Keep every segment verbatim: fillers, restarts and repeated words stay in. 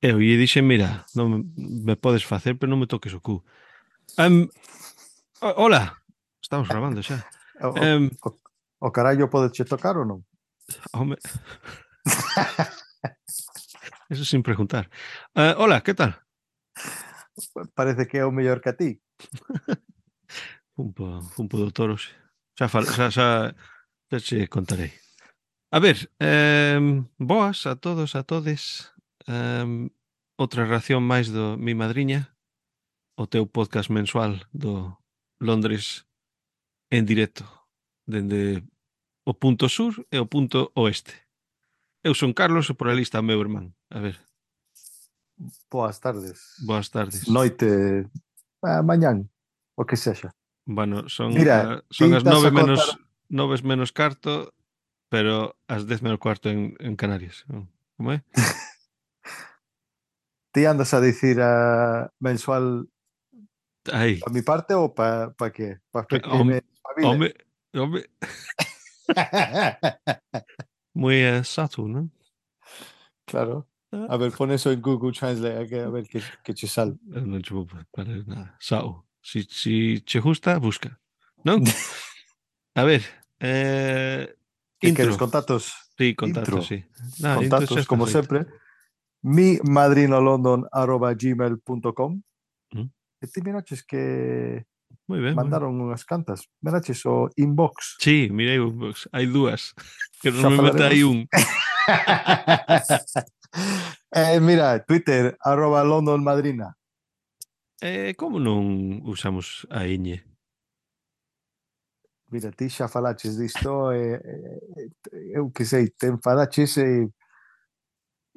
Eu lle dixen, mira, non me, me podes facer, pero non me toques o cu. Em, o- hola, estamos grabando xa. O, o, Em, o, o carallo pode che tocar ou non? home, eso sin preguntar. Eh, hola, que tal? Parece que é o mellor que a ti. Un po, un po de toros. Xa, fal, xa, xa, xa che contarei. A ver, em, boas a todos, a todes. Em, outra ración máis do Mi Madriña, o teu podcast mensual do Londres en directo, dende o punto sur e o punto oeste. Eu son Carlos e por ali está o meu irmán. A ver, Boas tardes, boas tardes. noite, ah, mañán, o que sexa. Bueno, son, Mira, ah, son ti as estás nove a contar, menos nove menos carto, pero as dez menos cuarto en, en Canarias. Como é? ti andas a dicir a mensual Aí. pa mi parte ou pa, pa que? Pa Cla- que me Home, espabile? home, home. Moi exacto, non? Claro. Ah, A ver, pon eso en Google Translate, a que- a ver que, que che sale. eu non che vou parar nada. Sao. Si, si che gusta, busca. Non? A ver, eh, Que queres intro. contactos? Sí, contacto, Intro. sí. No, intro xa Contactos, está como feito. sempre. mi madrinolondon arroba gmail punto com. Mm, E ti miraches que moi ben, moi ben. mandaron unhas cantas. Miraches o inbox. Sí, mirei, pois, hai dúas. Que Xa normalmente hai falaremos. un. eh, mira, Twitter, arroba London Madrina. Eh, como non usamos a ñ? Mira, ti xa falaches disto, e, eh, eu que sei, te enfadaches e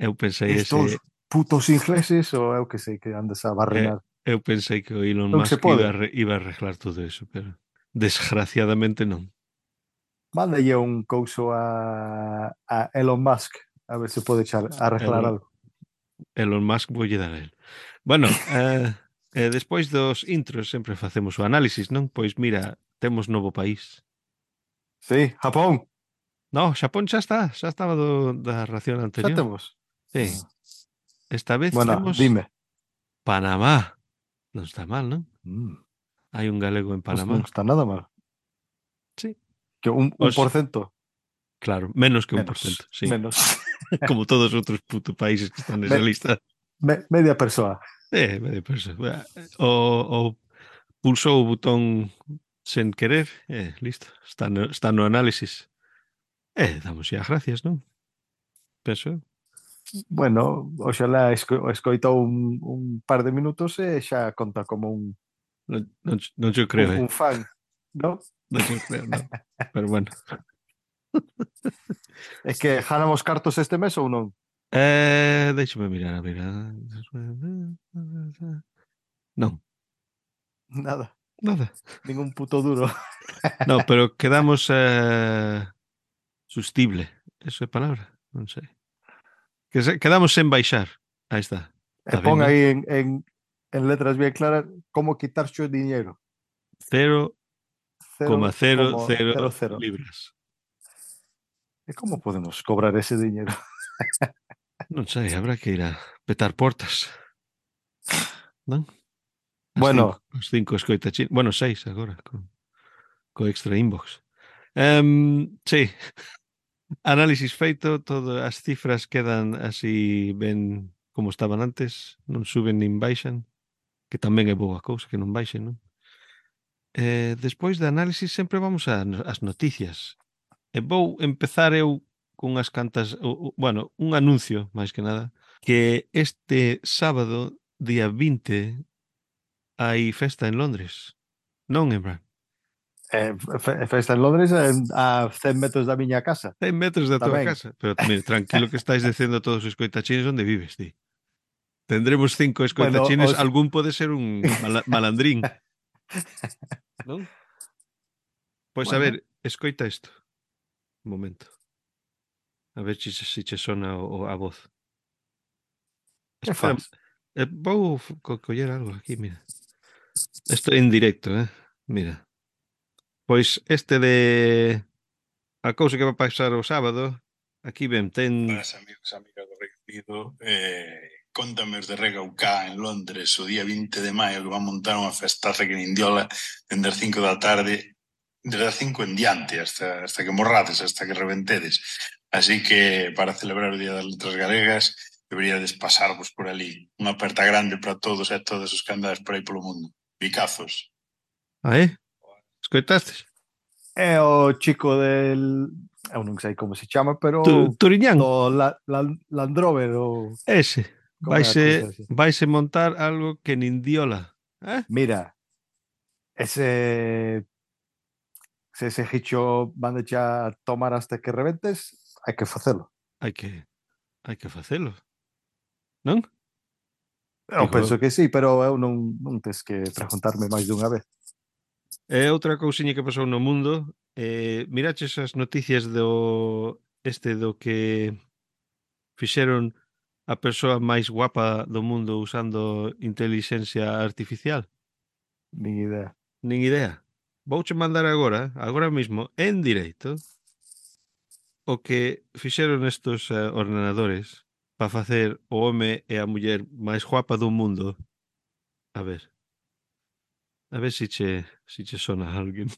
Eu pensei estos ese, putos ingleses, ou eu que sei que andas a eh, barrenar. eu pensei que o Elon O que se Musk iba pode. a, re, iba a arreglar todo eso, pero desgraciadamente non. Mándalle un couso a, a Elon Musk, a ver se pode echar, arreglar Elon, algo. Elon Musk voulle dar a él. Bueno, eh, eh, despois dos intros sempre facemos o análisis, non? Pois mira, temos novo país. Sí, Japón, No, Xapón xa está, xa estaba do, da ración xa anterior. temos. Sí, Ah, esta vez bueno, temos dime. Panamá. Non está mal, non? Mm, Hai un galego en pues Panamá. non está nada mal. Sí. Que un, un Os, por ciento claro, menos que un por cento, menos, sí. menos. Como todos os outros puto países que están nesa Me- lista. me- media persoa. Eh, medio perso. O, o pulsou o botón sen querer, eh, listo. Está no, está no análisis. Eh, damos xa gracias, non? Penso eu. Bueno, oxalá esco, escoitou un, un par de minutos e xa conta como un, Non, non, non yo un, creo, eh. un fan, ¿no? Non yo creo, non. Pero bueno. É que ganamos cartos este mes ou non? Eh, déixame mirar, a ver. Non, Nada, nada. ningún puto duro. No, pero quedamos eh, sustible. Eso é palabra? Non sei. Que se, quedamos sen baixar. Aí está. E Está ben, pon non? aí en, en, en letras bien claras como quitarse o diñeiro. Cero coma Cero cero como cero cero cero. libras. E como podemos cobrar ese diñeiro? Non sei, habrá que ir a petar portas, non? As cinco, Bueno, as cinco escoitachín. Bueno, seis agora, co, co extra inbox. Um, sí, análisis feito, todas as cifras quedan así ben como estaban antes, non suben nin baixan, que tamén é boa cousa que non baixen, non? Eh, despois de análisis sempre vamos a, ás noticias. E vou empezar eu cunhas cantas, o, o, bueno, un anuncio, máis que nada, que este sábado, día vinte, hai festa en Londres. Non, Emran? eh, fe- festa en Londres en- a cen metros da miña casa. cen metros da tua Tamén. casa. Pero, mira, tranquilo que estáis dicendo todos os escoitachines onde vives, ti. Tendremos cinco Bueno, escoitachines, os... algún pode ser un mala, malandrín, non? Pois a ver, bueno, escoita isto. Un momento. A ver se si che sona o, o, a voz. que Espera, faz? eh, vou co coller algo aquí, mira. Isto en directo, eh? Mira. Pois este de a cousa que vai pasar o sábado, aquí ben, ten Buenas amigos, amigas do Reino Unido. Eh, Cóntame os de Regaucá en Londres o día vinte de maio que van montar unha festaza que nin diola dende as cinco da tarde, desde as cinco en diante hasta, hasta que morrades, hasta que reventedes. Así que para celebrar o Día das Letras Galegas deberíades pasarvos por ali. Unha aperta grande para todos e todas os que andades por aí polo mundo. Bicazos. Ah, é? Escoitastes? É o chico del... Eu non sei como se chama, pero... Tu, Turiñán? Do la, la, Landrover, o... Ese. Como é a cousa Vaise, ese? vaise montar algo que nin diola. Eh? Mira, ese... Se ese hicho van de xa tomar hasta que rebentes, hai que facelo. Hai que hai que facelo. Non? Eu Digo, penso que sí, pero eu non, non tes que preguntarme máis dunha vez. é outra cousiña que pasou no mundo. Eh, miraches as noticias do este do que fixeron a persoa máis guapa do mundo usando intelixencia artificial? Nin idea. Nin idea. Vouche mandar agora, agora mismo, en directo, o que fixeron estos uh, ordenadores para facer o home e a muller máis guapa do mundo. A ver. A ver se che, si che sona a alguén.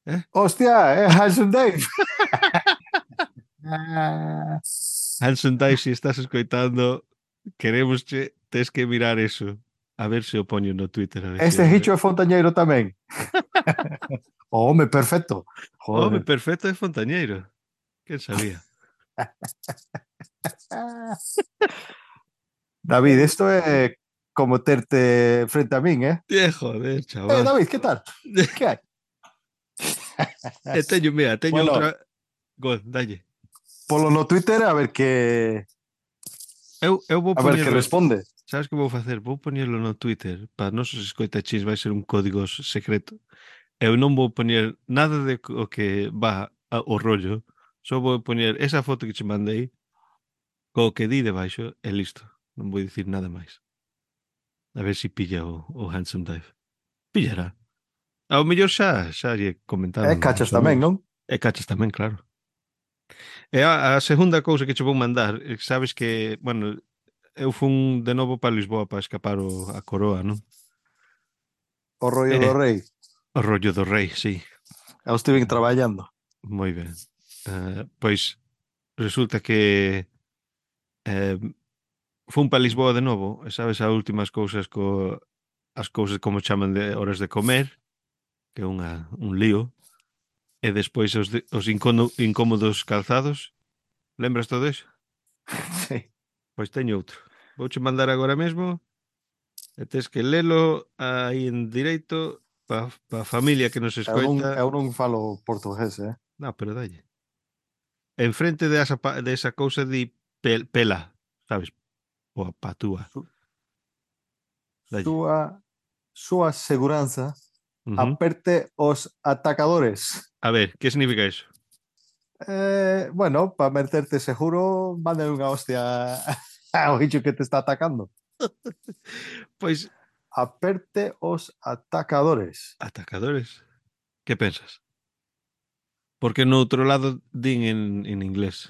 Eh? Hostia, é Hanson Dave. Hanson Dive, se estás escoitando, queremos che, tes que mirar eso. A ver se o poño no Twitter. A ver Este se... hicho é fontañeiro tamén. O home perfecto. Home, Joder. perfecto é fontañeiro. Quen sabía? David, isto é como terte frente a min, eh? Eh, joder, Eh, chaval. David, que tal? Que hai? E teño, mira, teño Bueno. outra... Gol, dalle. Polo no Twitter a ver que Eu, eu vou a ver que poñerlo... responde. Sabes que vou facer? Vou poñerlo no Twitter para nosos escoitachis, vai ser un código secreto. Eu non vou poñer nada de o que va ao rollo, só vou poñer esa foto que che mandei co que di debaixo e listo. Non vou dicir nada máis. A ver se si pilla o, o Handsome Dive. Pillará. Ao mellor xa, xa lle É comentaron cachas os tamén, amigos. non? E cachas tamén, claro. E a, a segunda cousa que che vou mandar, sabes que, bueno, eu fun de novo para Lisboa para escapar o, a coroa, non? O rollo Eh, do rei. o rollo do rei, sí. Eu estive traballando. Moi ben. Uh, pois resulta que eh, fun para Lisboa de novo, e sabes as últimas cousas co as cousas como chaman de horas de comer, que é unha, un lío, e despois os, de, os incómodo, incómodos calzados. Lembras todo iso? Sí. Pois teño outro. Vouche mandar agora mesmo e tes que lelo aí en directo para pa a familia que nos Eu non, escoita. eu non falo portugués, eh? No, pero dalle. Enfrente de esa, de esa cousa di pel, pela, sabes? O patúa. Dalle. Súa, súa seguranza Uh -huh. aperte os atacadores. A ver, que significa eso? Eh, bueno, para meterte seguro, mande unha hostia ao bicho que te está atacando. Pois... Aperte os atacadores. Atacadores? Que pensas? Porque no outro lado din en, en inglés.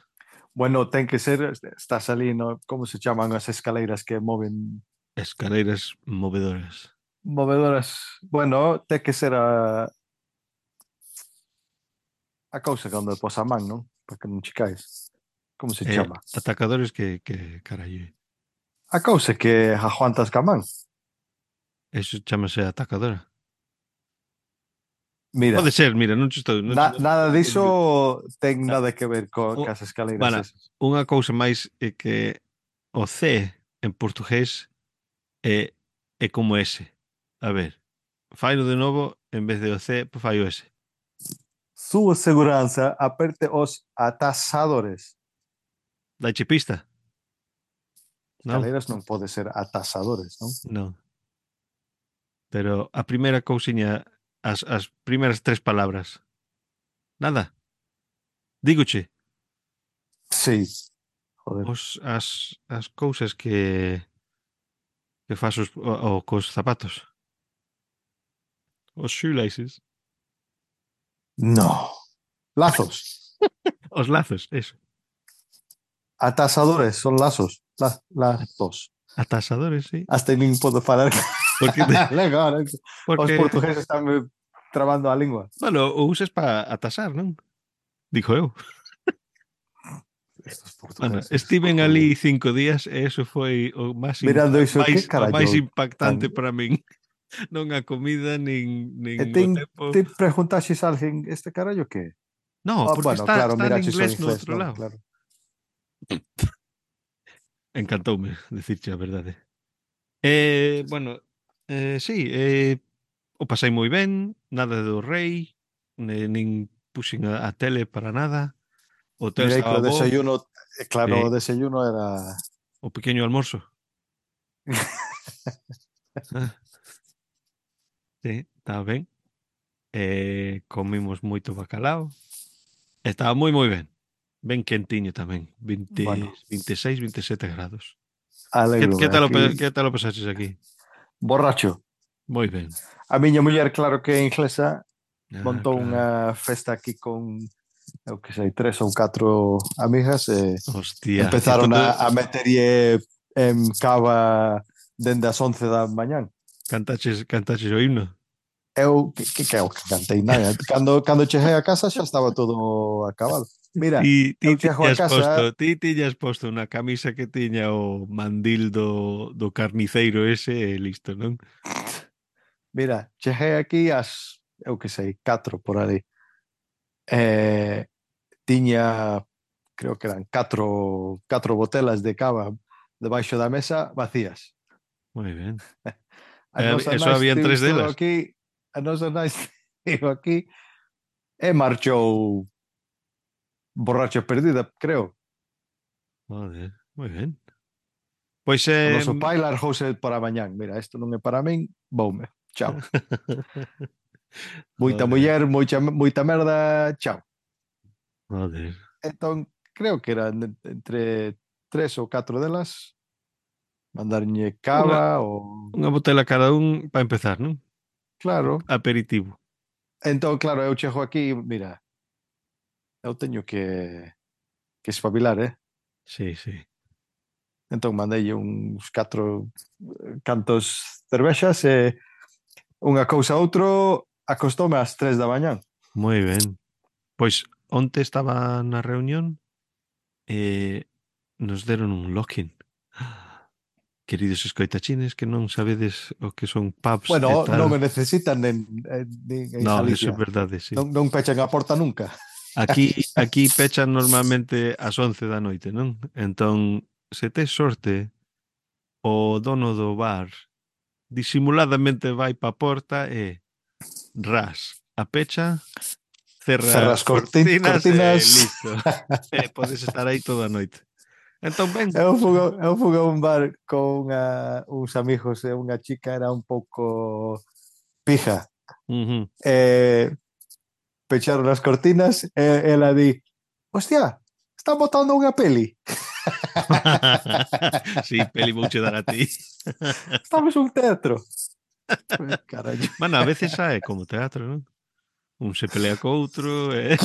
Bueno, ten que ser, estás ali, no, como se chaman as escaleiras que moven? Escaleiras movedoras. Movedoras. Bueno, ten que ser a a cousa cando pos a man, non? Para que non che caes. Como se eh, chama? Atacadores que, que carallo. A cousa que aguantas ca man. Eso chamase atacadora. Mira, pode ser, mira, non estou... Non na, non, nada diso ten na, nada que ver co, o, cas escaleiras bueno, esas. unha cousa máis é que o C en portugués é, é como S. A ver, faino de novo, en vez de o C, pues fai o S. Súa seguranza aperte os atasadores. Daiche pista? Non? Escaleiras non pode ser atasadores, non? Non. Pero a primeira cousiña, as, as primeiras tres palabras. Nada. Dígoche. Sí. Joder. Os, as, as cousas que que faz os, o, o, cos zapatos. Os shoelaces. No. Lazos. Os lazos, eso. Atasadores son lazos. Las, las dos. Atasadores, sí. Hasta nin podo falar Porque, Legal, os porque portugueses están trabando a lingua. bueno, o uses para atasar, non? Dijo eu. Estos Bueno, portugueses. estiven joder. ali cinco días e eso foi o máis, Mirando impa iso, máis, que o máis carallo impactante tan... para min. Non a comida, nin, E nin o ten, tempo. te preguntaxes a alguén este carallo que? No, Oh, porque bueno, está, claro, está en miraches o inglés no inglés, outro non? lado. Claro. Encantoume, decirche a verdade. Eh, bueno, eh, sí, eh, o pasei moi ben, nada do rei, ne, nin puxen a, a tele para nada. O hotel Mirei que estaba o bo, desayuno, eh, claro, o sí, desayuno era... o pequeño almorzo. Ah, sí, estaba ben. Eh, comimos moito bacalao. Estaba moi moi ben. Ben quentiño tamén, veinte, Bueno, veintiséis, veintisiete grados. Que, que alegro, tal o, pe- aquí que tal o pasaches aquí? borracho. Moi ben. A miña muller, claro que é inglesa, Ah, montou claro. unha festa aquí con, eu que sei, tres ou catro amigas e Hostia, e empezaron todo, a, a meterlle en cava dende as once da mañán. cantaches, cantaches o himno. Eu, que, que, que eu que cantei nada. Cando, cando cheguei a casa xa estaba todo acabado. Mira, Ti, eu ti chego a tiñas casa, posto, ti tiñas posto unha camisa que tiña o mandil do, do carniceiro ese e listo, non? mira, cheguei aquí ás, eu que sei, catro por ali. Eh, tiña, creo que eran catro, catro botelas de cava debaixo da mesa vacías. Moi ben. A E nosa e só nai habían estivo tres estivo delas. aquí, a nosa nai estivo aquí e marchou borracha perdida, creo. Joder, moi ben. Pois O eh, noso pai largouse para mañán. Mira, isto non é para min, voume. Chao. Moita joder, muller, moita, moita merda, chao. joder. Entón, creo que eran entre tres ou catro delas mandarlle Unha, cava ou... unha botella cada un para empezar, non? Claro. Aperitivo. Entón, claro, eu chego aquí, mira, eu teño que, que espabilar, eh? Sí, sí. Entón, mandei uns catro cantos cervexas e unha cousa a outro acostoume ás tres da mañán. Moi ben. Pois onte estaba na reunión e nos deron un lock-in. Queridos escoitachines que non sabedes o que son pubs e Bueno, non o tal. necesitan en, en, en No, eso é Galicia. verdade, sí. Non, non pechan a porta nunca. Aquí, aquí pechan normalmente ás once da noite, non? Entón, se tes sorte, o dono do bar disimuladamente vai pa porta e ras, a pecha, cerra as Cerras corti, cortinas e cortinas. listo. E podes estar aí toda a noite. Entón, ben. Eu fui, eu fui a un bar con unha, uns amigos e unha chica era un pouco pija. Uh -huh. E pecharon as cortinas e ela di, hostia, están botando unha peli. Sí, peli vouche dar a ti. Estamos un teatro. Carallo. Bueno, a veces é como teatro, non? Un se pelea co outro e...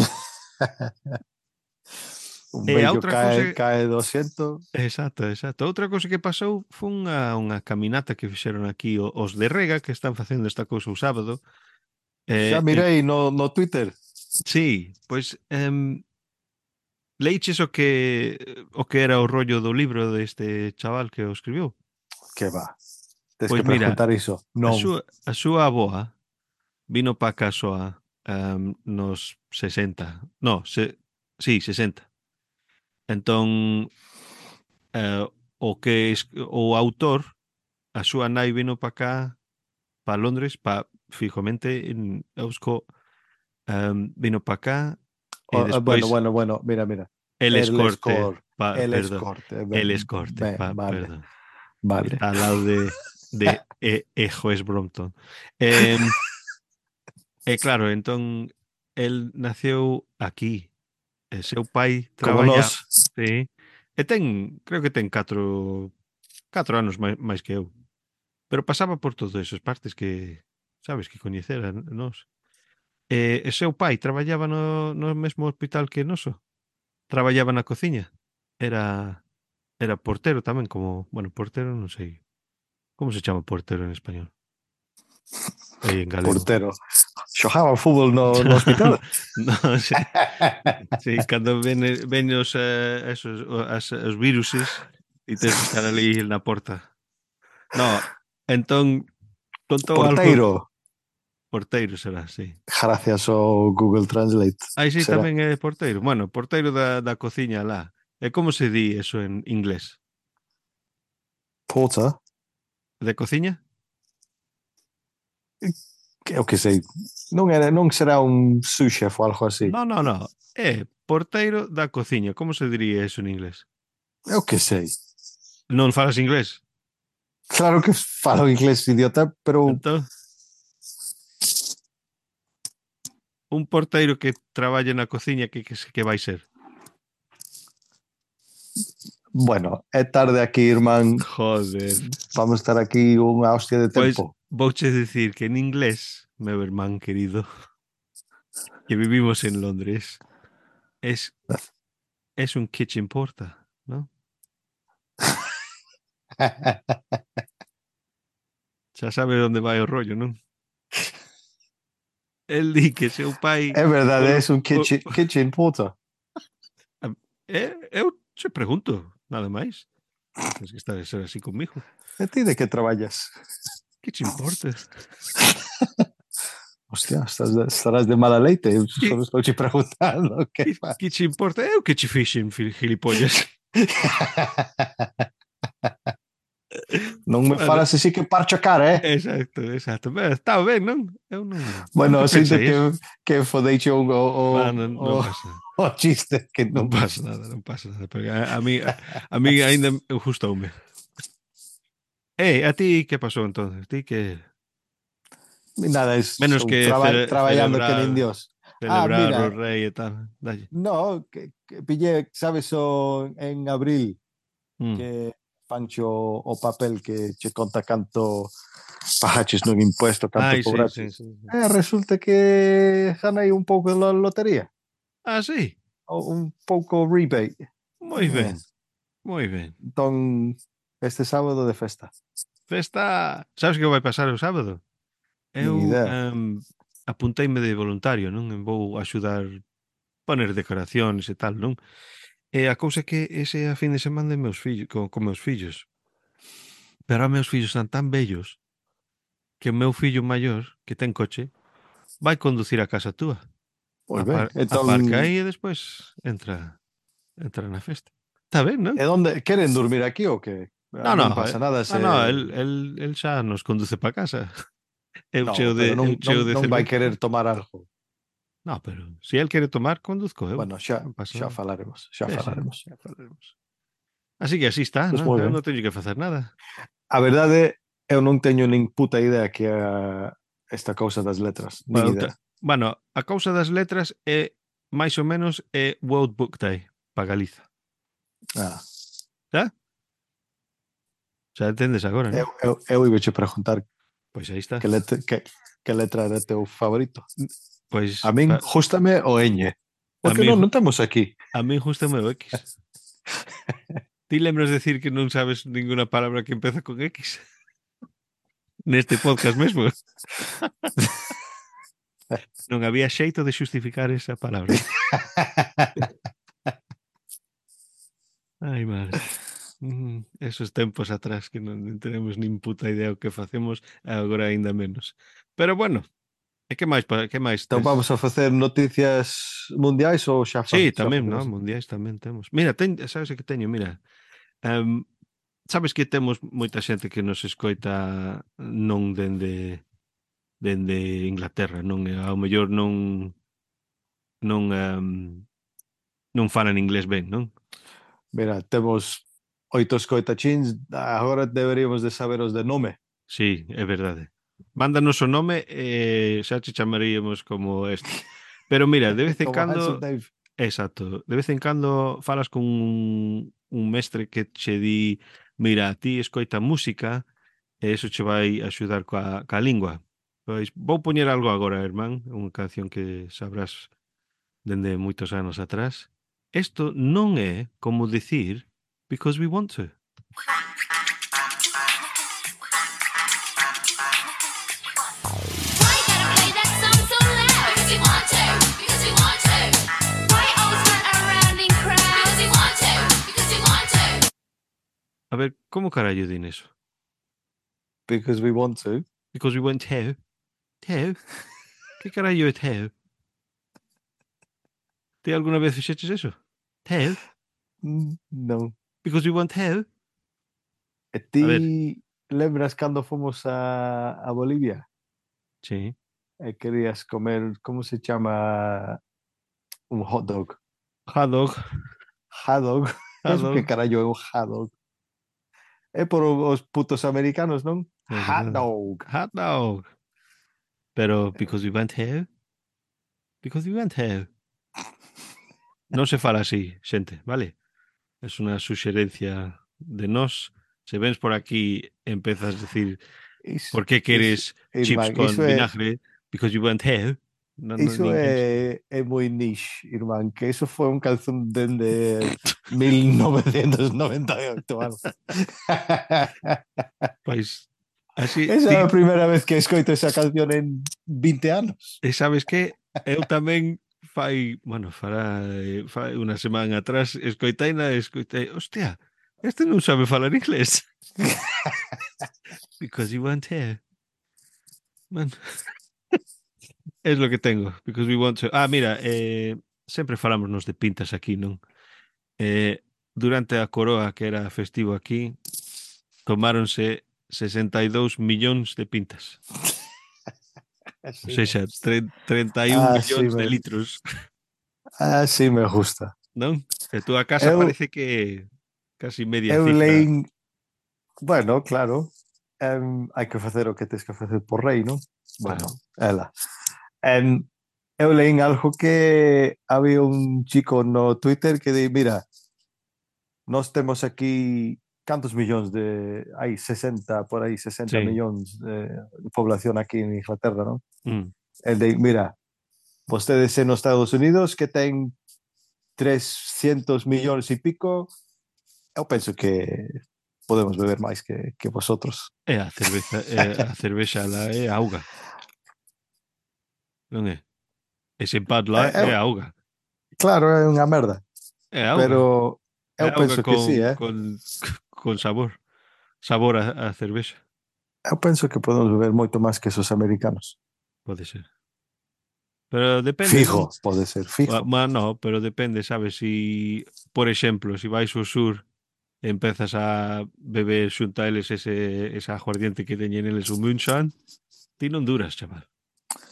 Un E a vello outra cousa... cae, cae do asiento. Exacto, exacto. Outra cousa que pasou foi unha, unha caminata que fixeron aquí o- os de Rega, que están facendo esta cousa o sábado. Xa Eh, eh, mirei no, no Twitter. sí, pois... Um, leiches o que o que era o rollo do libro deste chaval que o escribiu? Que va. Tens Pois que mira, preguntar iso. a Non. súa, a súa aboa vino pa Casoa um, nos sesenta. No, se, sí, sesenta. Entón, eh, o que es, o autor, a súa nai vino pa cá, pa Londres, pa fijamente en Eusko, um, vino pa cá e O- bueno, despois bueno, bueno, mira, mira. el El escorte, score. pa, El perdón, escorte. el escorte, Be- pa, Vale, perdón. vale. Está al lado de, de e, e Joes Brompton. Eh, e claro, entón, el naceu aquí. E seu pai Como traballa, nós. sí, e ten, creo que ten catro, catro anos máis, máis que eu. Pero pasaba por todas esas partes que, sabes, que coñecera nos. E, e seu pai traballaba no, no mesmo hospital que noso. Traballaba na cociña. Era Era portero tamén, como, bueno, portero non sei. Como se chama portero en español? Aí en galego. Portero. Xogaba fútbol no, no hospital. No, sí, sí, cando ven, ven os, eh, esos, o- as, os viruses e tens que estar ali na porta. No, entón contou algo Porteiro. porteiro será, sí. Gracias ao Google Translate. Aí sí Será. tamén é porteiro. Bueno, porteiro da, da cociña lá. E como se di eso en inglés? Porter. De cociña? Que eu que sei. Non, era, non será un sous chef ou algo así. No, no, no. É porteiro da cociña. Como se diría eso en inglés? Eu que sei. Non falas inglés? Claro que falo inglés, idiota, pero Entón, un porteiro que traballe na cociña, que, que, que vai ser? bueno, é tarde aquí, irmán. Joder. Vamos estar aquí unha hostia de Pois tempo. vouche dicir que en inglés, meu irmán querido, que vivimos en Londres, es, es un kitchen porter, ¿no? Xa sabe onde vai o rollo, non? El di que seu pai... É verdade, polo- é un po- kitchen, kitchen porter. Eh, eu che pregunto, nada máis. Tens que estar a ser así comigo. E ti de que traballas? Kitchen porter. Hostia, estás de, estarás de mala leite. Eu Que- só estou te preguntando que Que, faz. kitchen porter é o que che fixen, fil- gilipollas. Non me Bueno. falas así que parcho a cara, eh? Exacto, exacto. Ben, está ben, non? Eu non... Bueno, nunca sinto pensei eso. que, que fodeiche o, o, Ah, non, non o, pasa nada. o chiste que Non non pasa nada, non pasa nada. Porque a, a mí a, a mí aínda gustoume. Eh, a ti que pasou entonces? Ti que nada, es menos un que traba, cele, traballando que nin celebrar Dios. Ah, celebrar o mira, rei e tal. Dalle. no, que, que pillé, sabes, o, en abril Mm. que fancho o papel que che conta canto pagaches nun impuesto, canto Ai, sí, sí, cobraches. sí, sí. Eh, resulta que ganei un pouco de lo- lotería, Ah, sí. ou un pouco rebate. Moi Eh, ben. Moi ben. entón, este sábado de festa. Festa, sabes que vai pasar o sábado? Nin Eu idea. um, apunteime de voluntario, non? E vou axudar poner decoracións e tal, non? E a cousa é que ese é a fin de semana de meus fillos, con, con meus fillos. Pero a meus fillos están tan bellos que o meu fillo maior, que ten coche, vai conducir a casa túa. Pois ben, Apar, entón, aparca aí e despois entra entra na festa. Está ben, non? e onde queren dormir aquí ou que? No, no, Non pasa eh, nada no, se no, el, el, el xa nos conduce para casa. Eu No, cheo pero de, eu non, cheo non, de non vai cerveza. querer tomar algo. No, pero si el quere tomar, conduzco eu. Bueno, xa, Non pasa xa nada. falaremos, xa Sí, sí, falaremos. xa falaremos. Así que así está, Pois non? moi Eu ben. non teño que facer nada. A verdade, eu non teño nin puta idea que é esta cousa das letras, nin Bueno, idea. te- bueno, a cousa das letras é máis ou menos é World Book Day para Galiza. Ah, Xa? Xa entendes agora, non? eu, eu, eu iba che preguntar Pois aí está. que letra, que, que letra era teu favorito. Pois A min, pa- justame o ñ. A Porque min non, ju- non temos aquí. a min justame o X. Ti lembras decir que non sabes ninguna palabra que empeza con X? Neste podcast mesmo. Non había xeito de xustificar esa palabra. Ai, madre. Mm, esos tempos atrás que non tenemos nin puta idea o que facemos, agora aínda menos. Pero bueno, e que máis, pa- que máis Então tes? vamos a facer noticias mundiais ou xa, fa, Sí, xa tamén, no, facemos? mundiais tamén temos. Mira, ten, sabes o que teño? Mira, um, sabes que temos moita xente que nos escoita non dende dende Inglaterra, non e ao mellor non non um, non falan inglés ben, non? Mira, temos oito escoitachins, agora deberíamos de saber os de nome. Sí, é verdade. Mándanos o nome e xa te chamaríamos como este. Pero mira, de vez en Como Handsome cando, Dave. exacto, de vez en cando falas con un, un mestre que che di, mira, ti escoita música e eso che vai axudar coa, coa lingua. Pois vou poñer algo agora, irmán, unha canción que sabrás dende moitos anos atrás. Isto non é como dicir Because we want to. A ver, como carallo din eso? Because we want to. Because we want to. To? Que carallo é to? Ti alguna vez fixeches eso? To? Mm, Non. Because we want to? E A ti lembras cando fomos a, a Bolivia Sí. e querías comer, como se chama, un hot dog? Hot dog. Hot dog. Hot Eso que dog. carallo é un hot dog? É por os putos americanos, non? É Hot verdade. dog. Hot dog. Pero because we want to? Because we want to. Non se fala así, xente, vale? Es unha suxerencia de nós. Se vens por aquí empezas a decir Iso, por que queres iso, chips irmán, con iso é, vinagre? Because you want to. Non, non, iso ninguén... é, é moi niche, irmán, que iso foi un calzón dende mil novecentos noventa e oito, vamos. Pois, así... Esa é ti- a primeira vez que escoito esa canción en vinte anos. E sabes que eu tamén fai, bueno, fará eh, fai unha semana atrás escoitaina e escoitei, hostia, este non sabe falar inglés. Because you want to. Man. Es lo que tengo, because we want to. Ah, mira, eh, sempre falámonos de pintas aquí, non? Eh, durante a coroa, que era festivo aquí, tomáronse sesenta e dous millóns de pintas. Así, Ou seja, tre- treinta e un Ah, millóns sí, de me- litros, así me gusta. non? E túa casa Eu- parece que casi media Eu cifra. leín, bueno, claro, em, hai que facer o que tens que facer por rei, non? Bueno, ela. Em, eu leín algo que había un chico no Twitter que di, mira, nós temos aquí cantos millóns de, hai sesenta, por aí sesenta Sí. millóns de población aquí en Inglaterra, non? Mm. El de, mira, vostedes en os Estados Unidos que ten trescientos millóns e pico, eu penso que podemos beber máis que, que vosotros. E a cerveza, e a cervexa lá é auga. Non é? Ese Bud Light É, é, é auga. claro, é unha merda, É auga. pero É eu auga penso que con, sí, eh? con, con sabor. Sabor a, a cervexa. Eu penso que podemos beber moito máis que esos americanos. Pode ser. Pero depende, Fijo, non? pode ser, Ma, fijo. ma no, pero depende, sabes? Si, por exemplo, si vais ao sur e empezas a beber xunta eles ese, esa aguardiente que teñen eles o moonshine, ti non duras, chaval.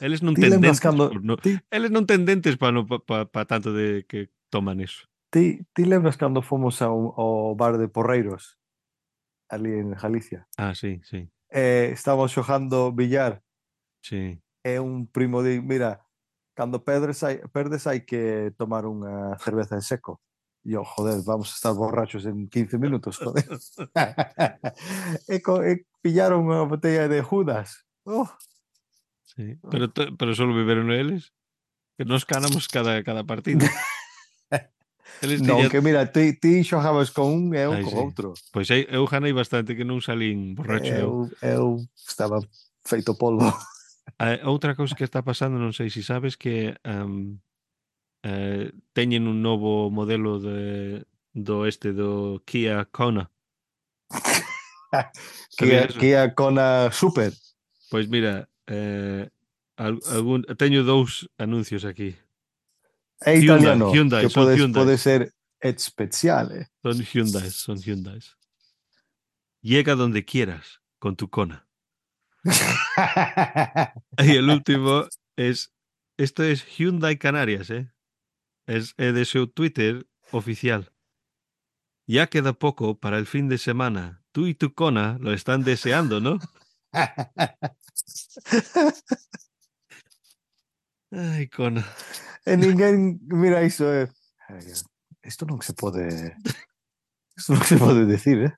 Eles non Ti ten lembras dentes. cando por no, ti, eles non ten dentes para no, pa, pa, pa tanto de que toman eso. ti, ti lembras cando fomos ao, ao bar de Porreiros ali en Galicia? Ah, sí, sí, Eh, estábamos xogando billar sí. e un primo di, mira, cando perdes hai, perdes hai que tomar unha cerveza en seco. E eu, joder, vamos a estar borrachos en quince minutos, joder. e, co, e pillaron unha botella de Judas. Oh, Sí. Pero, to- pero solo beberon eles. Que nos ganamos cada, cada partido. Eles non, tiñan... que mira, ti, ti xogabas con un e eu Ai, con sí. outro. Pois eu, eu ganei bastante que non salín borracho eu. Eu, eu estaba feito polvo. A, outra cousa que está pasando, non sei se sabes, que um, eh, teñen un novo modelo de, do este do Kia Kona. que, Sabías eso? que a Kona Super. Pois mira, eh, al- algún, teño dous anuncios aquí. É Hyundai, italiano, Hyundai, que son podes, Hyundai. pode ser especial. Son Hyundai, son Hyundai. Llega donde quieras con tu Kona. Y el último es, esto es Hyundai Canarias, ¿eh? Es, es de su Twitter oficial. Ya queda poco para el fin de semana. Tú y tu Kona lo están deseando, ¿no? Ay, Kona. E ninguén mira iso é. Isto non se pode. Isto non se pode decir, eh?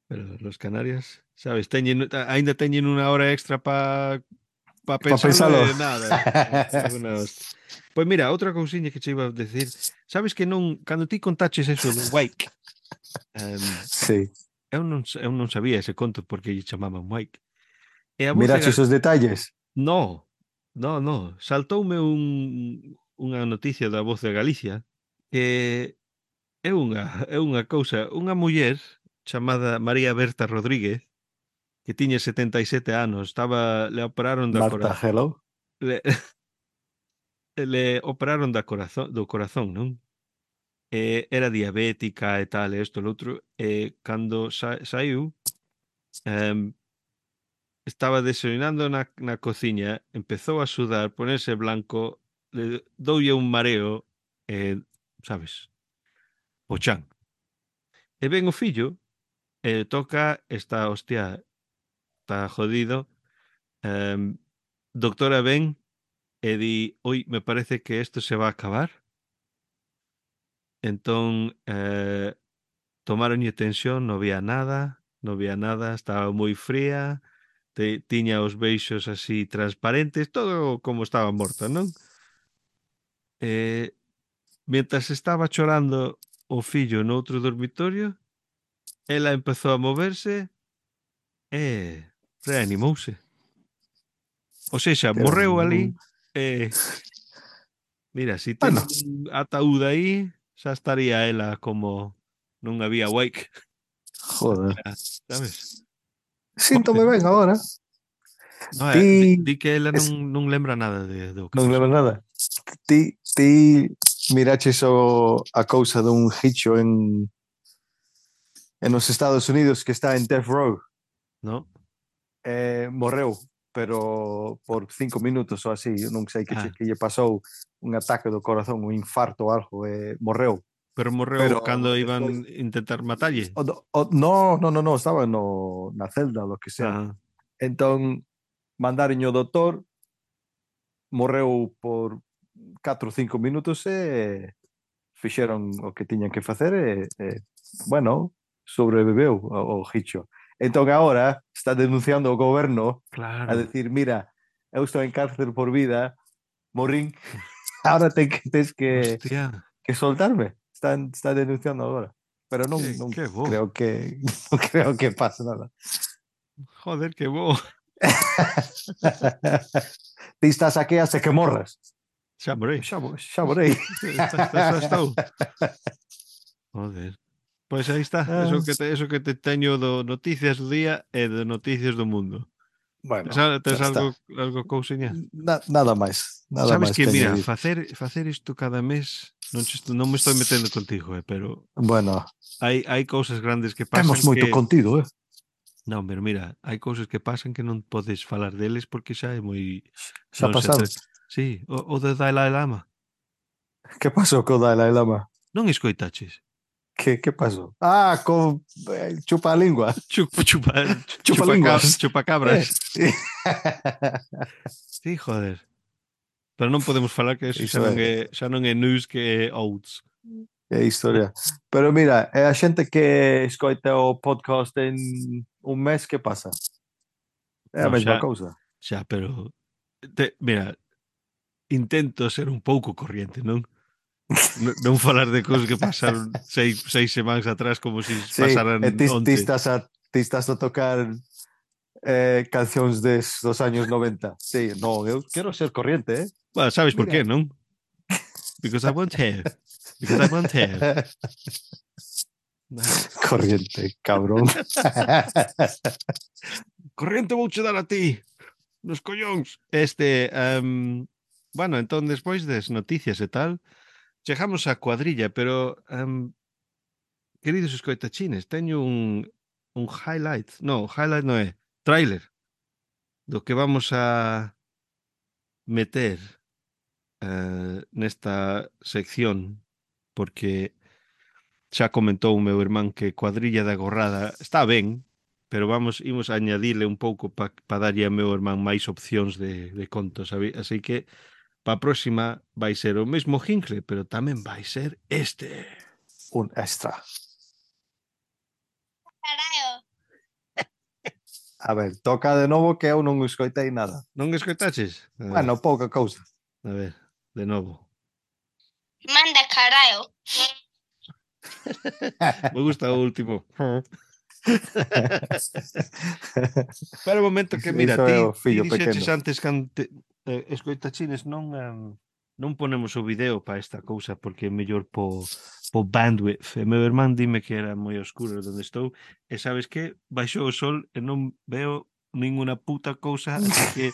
Pero los Canarias, sabes, teñen, ainda teñen unha hora extra para pa Pa pensarlo pensalo. e nada. Pois mira, outra cousiña que che iba a decir, sabes que non, cando ti contaches eso do Wake, Um, Sí. eu, non, eu non sabía ese conto porque lle chamaban Mike. E a voz de Mirache Gal... esos detalles. No, no, no. Saltoume un, unha noticia da Voz de Galicia que é unha, é unha cousa, unha muller chamada María Berta Rodríguez que tiña setenta e sete anos, estaba, le operaron da Marta, corazón, hello. le, le operaron da corazón, do corazón, non? E era diabética e tal, e isto e outro, e cando sa, saiu, em, estaba desayunando na, na cociña, empezou a sudar, ponerse blanco, le doulle un mareo, e, sabes, o chan. E ven o fillo, e toca, está, hostia, está jodido, em, doctora ven, e di, oi, me parece que isto se va a acabar. Entón, eh, tomaronlle tensión, non había nada, non había nada, estaba moi fría, te, tiña os beixos así transparentes, todo como estaba morta, non? E, mientras estaba chorando o fillo no outro dormitorio, ela empezou a moverse e reanimouse. Ou seja, Que era morreu un... ali e, mira, si Bueno, teñen un ataúd aí, xa estaría ela como non había wake. joder. Sabes? Síntome ben agora. No, eh, di, Ti... di que ela es- non, non lembra nada de, do que Non pasou. lembro nada. Ti, ti miraches o, a cousa dun hicho en, en os Estados Unidos que está en Death Row. No? Eh, morreu, pero por cinco minutos ou así, eu non sei que, che, Ah, que lle pasou un ataque do corazón, un infarto ou algo, eh, morreu. pero morreu Pero cando despois, iban intentar matalle. o, o, no, no, no, no, estaba no, na celda, lo que sea. Ah, Entón, mandaron o doutor, morreu por catro ou cinco minutos e fixeron o que tiñan que facer e, e bueno, sobreviveu o, o Hicho. Entón agora está denunciando o goberno a claro. decir, mira, eu estou en cárcel por vida, morín, ahora ten que, tens que, Hostia, que soltarme. Está, está denunciando agora. Pero non, que, non que bo. creo que non creo que pase nada. Joder, que bo. Ti estás aquí hasta que morras. Xa morei. Xa, mo- xa morei. Está, está, xa estou. Joder. Pois aí está, Ah, eso que te, eso que te teño do noticias do día e de noticias do mundo. Tes, bueno, al- xa tes está. algo, algo cousiña? Na, nada máis, nada Sabes máis que, que mira, añadir. facer, facer isto cada mes, non, che estou- non me estou metendo contigo, eh, pero Bueno, hai, hai cousas grandes que temos pasan moito que... contido, eh? Non, pero mira, hai cousas que pasan que non podes falar deles porque xa é moi... Xa Non se pasaron. tre... Sí, o, o de Dalai Lama. Que pasou co Dalai Lama? Non escoitaches? Que, que pasou? Ah, con eh, chupa a lingua. Chupa, chupa, Chupa chupa, ca- linguas. chupa Eh. cabras. Sí, joder. Pero non podemos falar que eso xa Iso non é, é, xa non é news que é outs. é historia. Pero mira, é a xente que escoita o podcast en un mes, que pasa? É a Non, mesma xa, cousa. xa, pero... Te, mira, intento ser un pouco corriente, non? Non, non falar de cousas que pasaron seis, seis semanas atrás como se si Sí, e pasaran ti, ti, onte. estás a, ti estás a tocar eh, cancións des, dos años noventa. Sí, non, eu quero ser corriente, eh? Bueno, sabes por Mira. qué, non? Because I want have. Because I want have. Corriente, cabrón. Corriente vouche dar a ti. Nos collóns. Este, um, bueno, entón, despois das noticias e tal, chegamos á cuadrilla, pero, um, queridos escoitachines, teño un, un highlight. No, highlight non é. Tráiler do que vamos a meter uh, nesta sección, porque xa comentou o meu irmán que Cuadrilla da Gorrada está ben, pero vamos, imos a añadirle un pouco para pa darlle ao meu irmán máis opcións de, de contos, sabe? Así que para a próxima vai ser o mesmo Hinkle, pero tamén vai ser este. Un extra. Carallo. A ver, toca de novo que eu non escoitei nada. Non escoitaches? A ver, Bueno, pouca cousa. a ver, de novo. Manda carallo. Me gusta o último. Pero un momento que, mira, Iso é ti, o ti fillo pequeno. dixeches antes que ante, eh, escoitachines non, um, non ponemos o video para esta cousa porque é mellor po, po bandwidth. E meu irmán dime que era moi oscuro onde estou e sabes que baixou o sol e non veo ninguna puta cousa, así que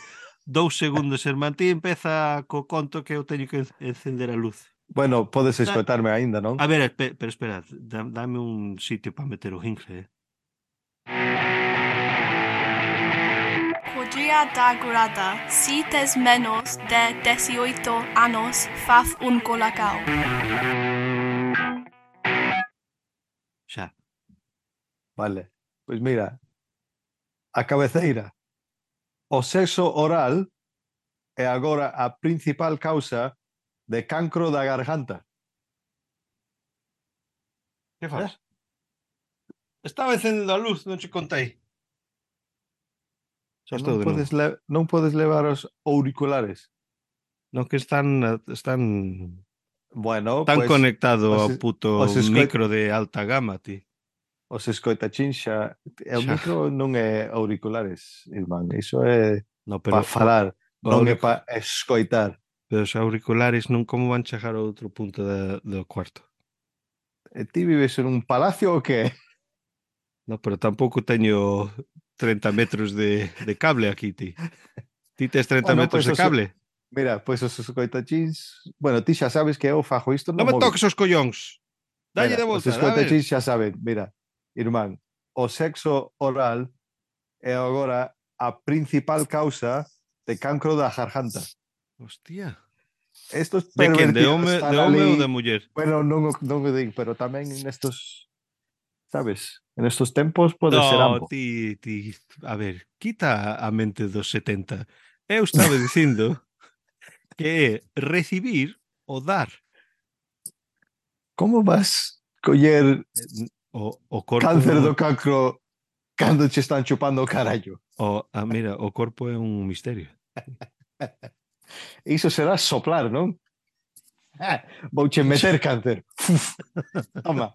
dous segundos, irmán, ti empeza co conto que eu teño que encender a luz. Bueno, podes Da, escoitarme aínda, non? a ver, espe- pero espera, dá- dame un sitio para meter o jingle, eh? Podría dar grada si tes menos de dieciocho anos faz un colacao. Xa. Vale. Pois mira, a cabeceira. O sexo oral é agora a principal causa de cancro da garganta. Que faz? Estaba encendendo a luz, non che contei. Xa estou Non de podes, novo. le non podes levar os auriculares. Non que están están Bueno, tan pois conectado os, ao puto os, escoit micro de alta gama, ti. os escoitachins xa... O Xa. micro non é auriculares, irmán. Iso é No, para pero falar, o non é auric- para escoitar. pero os auriculares non como van chegar ao outro punto da, do cuarto. E ti vives en un palacio ou que? No, pero tampouco teño trinta metros de, de cable aquí, ti. Ti tes trinta Bueno, metros pois de os- cable? Mira, pois os escoitachins... Bueno, ti xa sabes que eu fajo isto no Non me móvil. toques os collóns. Dalle Mira, de os volta, a ver. escoitachins xa saben. Mira, irmán, o sexo oral é agora a principal causa de cancro da garganta. Hostia. Estos De quen? De pervertidos home, están de home ou ali... de muller? Bueno, non, o- non o digo, pero tamén nestos... Sabes? En estos tempos pode ser No, ambos. ti, ti, a ver, quita a mente dos setenta. Eu estaba dicindo que é recibir o dar. Como vas coller O, o corpo cáncer é un, do cancro cando che están chupando o carallo? o, ah, mira, o corpo é un misterio. Iso será soplar, non? Ah, vouche meter cáncer. Uf, toma.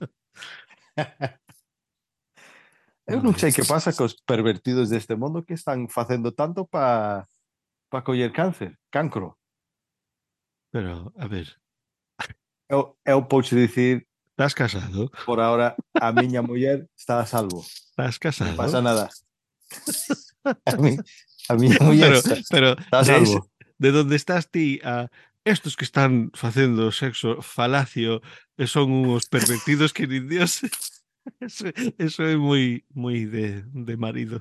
Eu non sei que pasa cos pervertidos deste mundo que están facendo tanto para pa coller cáncer, cancro. Pero, a ver, Eu, eu pouche dicir, estás casado? por ahora, a miña muller está a salvo. Estás casado? Non pasa nada. A, mi, a miña muller Pero, está, pero está a de, ese- salvo. de donde estás ti a estos que están facendo sexo falacio e son uns pervertidos que nin Dios. Eso, eso é moi moi de, de marido.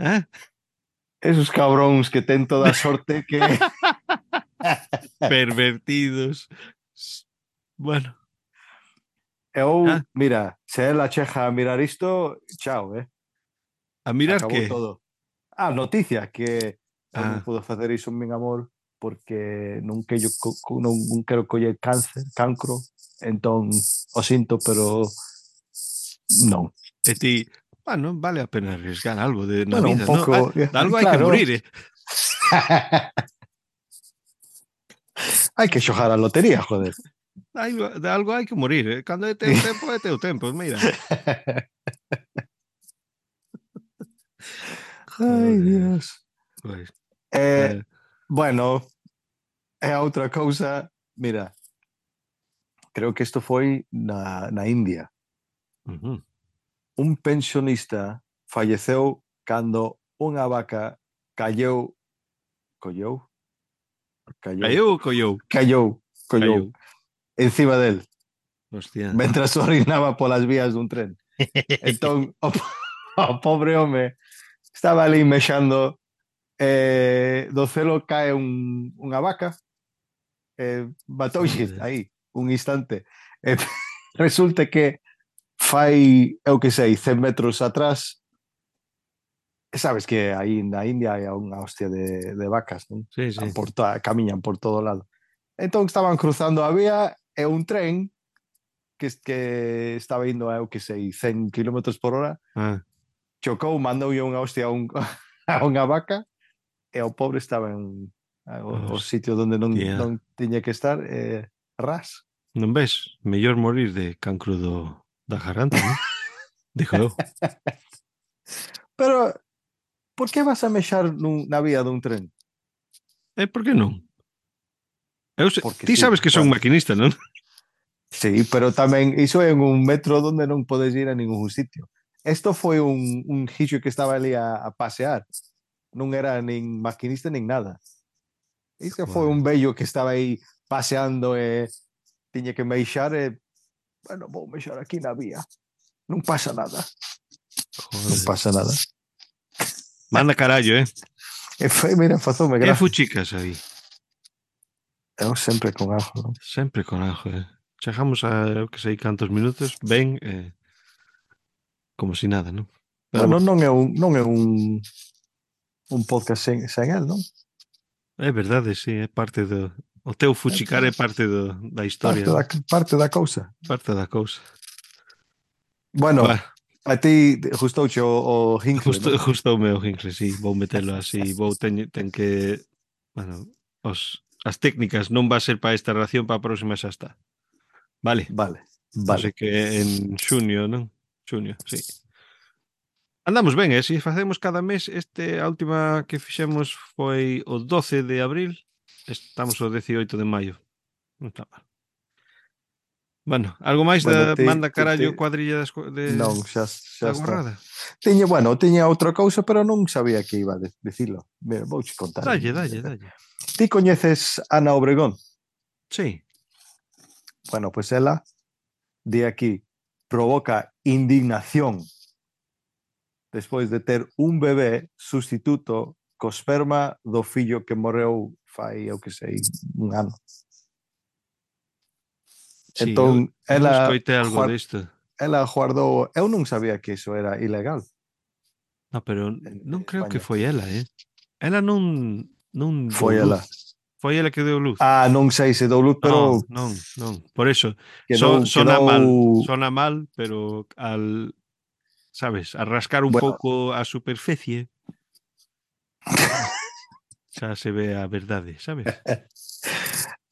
¿Eh? Esos cabróns que ten toda a sorte que... Pervertidos. Bueno, Eu, Ah. mira, se ela cheja a mirar isto, chao, eh? a mirar Acabou que todo. Ah, noticia, que eu non Ah. puedo facer iso, min amor, porque non quero, co- co- non, non quero coller cáncer, cancro, entón o sinto, pero non. e ti, bueno, vale a pena arriesgar algo de na Bueno, un vida, pouco, ¿no? Ah, de algo hai que claro. morir, eh? Hai que xogar a lotería, joder. Hai, de algo hai que morir, eh? Cando é teu tempo, é teu tempo, mira. Ai, Joder. Dios. Pois, Eh, eh, bueno, é outra cousa, mira, creo que isto foi na, na India. ujú. Un pensionista falleceu cando unha vaca calleu, colleu? Callou. Callou ou collou? Callou, collou, Callou. encima del, Hostia. mentras orinaba polas vías dun tren. Entón, o, o pobre home estaba ali mexando, eh, do celo cae un, unha vaca, eh, batoulle Joder. aí un instante. E resulta que fai, eu que sei, cen metros atrás, sabes que aí na India hai unha hostia de, de vacas, non? Sí, sí. Por toda, camiñan por todo lado. Entón estaban cruzando a vía e un tren que, que estaba indo a, eu que sei, cen kilómetros por hora, Ah, chocou, mandoulle unha hostia a, un, a unha vaca e o pobre estaba en a- o, o Hostia. sitio onde non, non tiña que estar e ras. Non ves? Mellor morir de cancro do, da garganta, non? Dijo eu. Pero, por que vas a mexar nun, na vía dun tren? E por que non? Eu se... Porque Ti sí, sabes que son claro. maquinista, non? Sí, pero tamén iso é en un metro donde non podes ir a ningún sitio. Esto foi un, un gixo que estaba ali a, a pasear. Non era nin maquinista nin nada. Isto foi un vello que estaba aí paseando e tiña que meixar e, bueno, vou mexar aquí na vía. Non pasa nada. Joder. Non pasa nada. Manda carallo, eh? E foi, mira, fazoume Que gracia. fuchicas aí? Eu sempre con algo, non? Sempre con algo, eh? Chegamos a, eu que sei, cantos minutos, ben, eh, como si nada, non? Pero Bueno, bueno, non é un, non é un, un podcast sen, sen el, non? é verdade, sí, é parte do... O teu fuchicar é parte do, da historia, Parte da, parte da, parte da cousa. parte da cousa. Bueno, Bah, a ti gustouche o, o Hinkle, justo, non? justo o meu Hinkle, sí, vou metelo así, vou ten, ten que... Bueno, os, as técnicas non va a ser para esta ración, para a próxima xa está. Vale, Vale, así vale. que en xunio, non? Xunio, sí. Andamos ben, e se facemos cada mes, este a última que fixemos foi o doce de abril, estamos o diecioito de maio. Non está mal. Bueno, algo máis Bueno, da ti, manda ti, carallo ti, cuadrilla das, co- de non, xa, xa da está. gorrada? Tiña, bueno, tiña outra cousa, pero non sabía que iba a de- dicilo. Mira, vouche contar. Dalle, dalle, dalle. Ti coñeces Ana Obregón? Sí. Bueno, pues ela, di aquí, provoca indignación despois de ter un bebé sustituto co esperma do fillo que morreu fai, eu que sei, un ano. Sí, Entón, eu, eu ela, escoitei algo guar- disto. ela guardou... Eu non sabía que iso era ilegal No, pero en, non en creo que España. foi ela, eh? Ela non, non dou Foi ela. luz. Foi ela que deu luz. Ah, non sei se dou luz, pero Non, non, non. Por eso, so, quedou, sona quedou... mal, sona mal, pero al, sabes, a rascar un Bueno, pouco a superficie, xa se ve a verdade, sabes?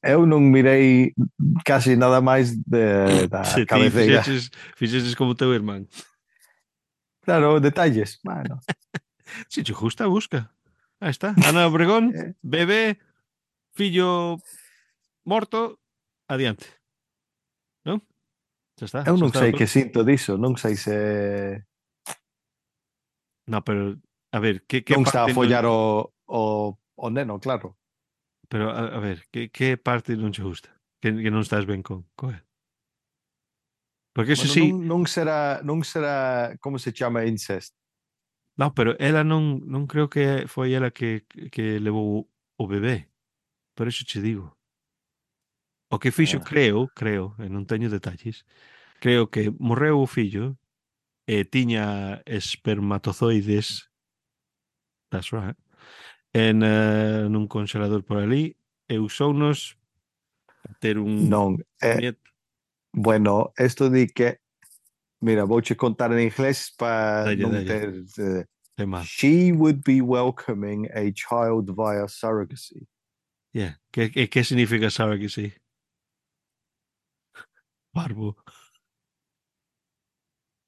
eu non mirei casi nada máis de, da Se ti cabeceira. fixeches, fixeches como teu irmán. Claro, detalles. Bueno, Si te gusta, busca. Aí está. Ana Obregón, eh, bebé, fillo morto, adiante. Non? Xa está, eu xa non está. sei que sinto diso, non sei se No, pero, a ver, que, que non está a parte follar non... o, o, o neno, claro. Pero, a, a ver, que, que parte non che gusta? Que, que non estás ben con, con él? Porque eso Bueno, sí... non, non será, non será, como se chama, incest. No, pero ela non, non creo que foi ela que, que levou o bebé. Por eso che digo. O que fixo, Ah, creo, creo, e non teño detalles, creo que morreu o fillo e tiña espermatozoides that's right, en uh, nun congelador por ali e usounos para ter un non, eh, nieto. bueno, esto di que, mira, vouche contar en inglés para Dalle, non dalle, ter... Eh, é mal. she would be welcoming a child via surrogacy. Yeah. Que, que, que significa surrogacy? Barbo.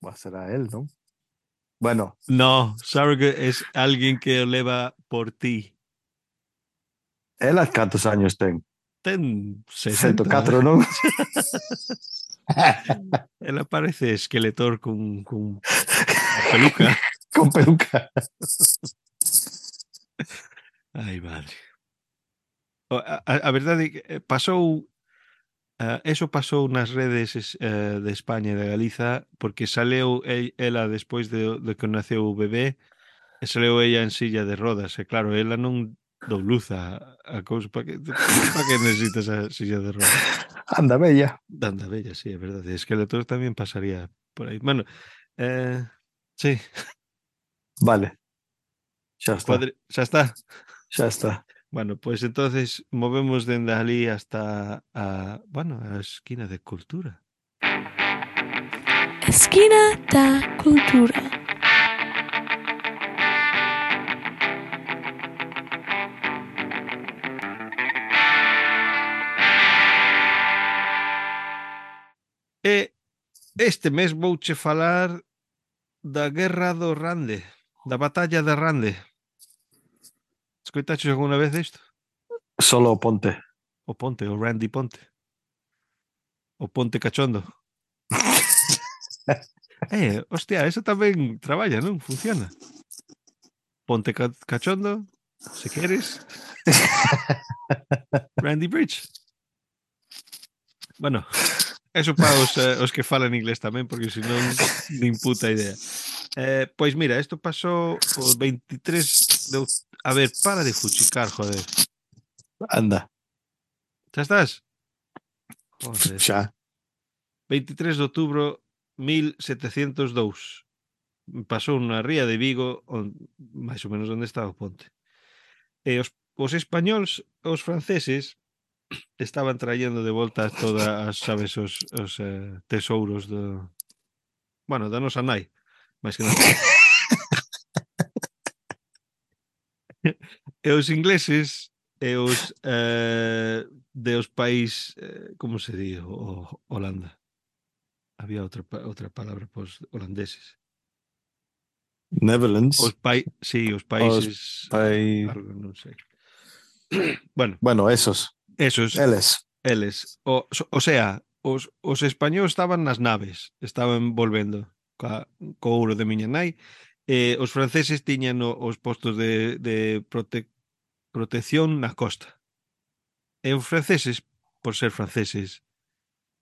Va, será él, non? Bueno, No, surrogate es alguén que o leva por ti. ela cantos años ten? Ten ciento sesenta. catro, non? Ela parece esqueletor con, con peluca. Con peluca. Ai, madre. O- A, a, a verdade é que eh, pasou uh, eso pasou nas redes uh, de España e de Galiza porque saleu el, ela despois de, de que naceu o bebé e saleu ella en silla de rodas e claro, ela non dou luz a, a cousa para que, para que necesitas a silla de rodas. Anda, bella. Danda bella, sí, é verdade. Esqueletor tamén pasaría por aí. Bueno, eh, sí, Vale. Xa está. cuadri... xa está. Xa está. Bueno, pues entonces movemos dende ali hasta a, bueno, a esquina de cultura. Esquina da Cultura. Este mes vouche falar da guerra do Rande, da batalla de Rande. Escoitaches alguna vez isto? Solo Ponte. O Ponte, o Randy Ponte. O Ponte Cachondo. Eh, hostia, eso tamén traballa, non? Funciona. Ponte ca Cachondo, se queres. Randy Bridge. Bueno, eso para os, eh, os que falan inglés tamén, porque senón nin puta idea. Eh, pois mira, isto pasou o veintitrés de... A ver, para de fuchicar, joder. Anda, Xa estás? Joder. xa. veintitrés de outubro mil setecentos e dous. Pasou na ría de Vigo, on, máis ou menos onde estaba o ponte. E os, os españols, os franceses, estaban traendo de volta todas as, sabes, os, os eh, tesouros do... Bueno, da nosa nai, máis que nada. E os ingleses e os eh, de os país, eh, como se di, o, Holanda. Había outra, outra palabra para os holandeses. Netherlands. Os pai, sí, os países... Pai... Algo, non sei. Bueno, Bueno, esos. esos, Eles. eles. O, o sea, os, os españoles estaban nas naves, estaban volvendo ca, co ouro de miña nai, e os franceses tiñan o, os postos de, de prote, protección na costa. E os franceses, por ser franceses,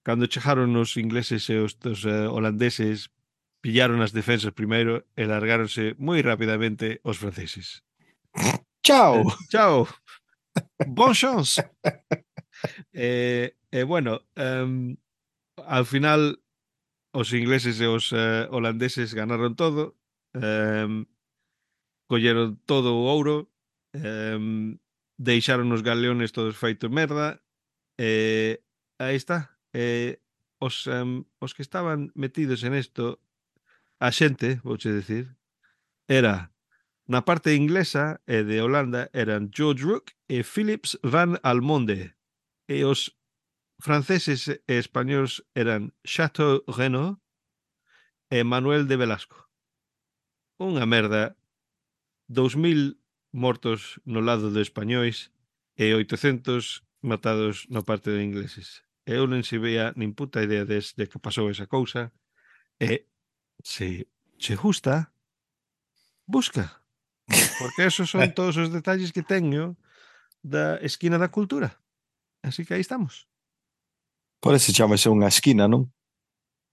cando chegaron os ingleses e os, os uh, holandeses, pillaron as defensas primeiro e largáronse moi rapidamente os franceses. Chao. Eh, chao. Bon chance. E, eh, eh, bueno, um, ao final os ingleses e os uh, holandeses ganaron todo, um, colleron todo o ouro, um, deixaron os galeones todos feitos merda, e aí está. E os, um, os que estaban metidos en isto, a xente, vouche decir, era na parte inglesa e de Holanda eran George Rook e Philips van Almonde, e os franceses e españoles eran Chateau Renaud e Manuel de Velasco. Unha merda, dous mil mortos no lado de españois e oitocentos matados na parte de ingleses. Eu non se veía nin puta idea desde que pasou esa cousa, e se che gusta, busca, porque esos son todos os detalles que teño da esquina da cultura. Así que aí estamos. Por eso chamase unha esquina, non?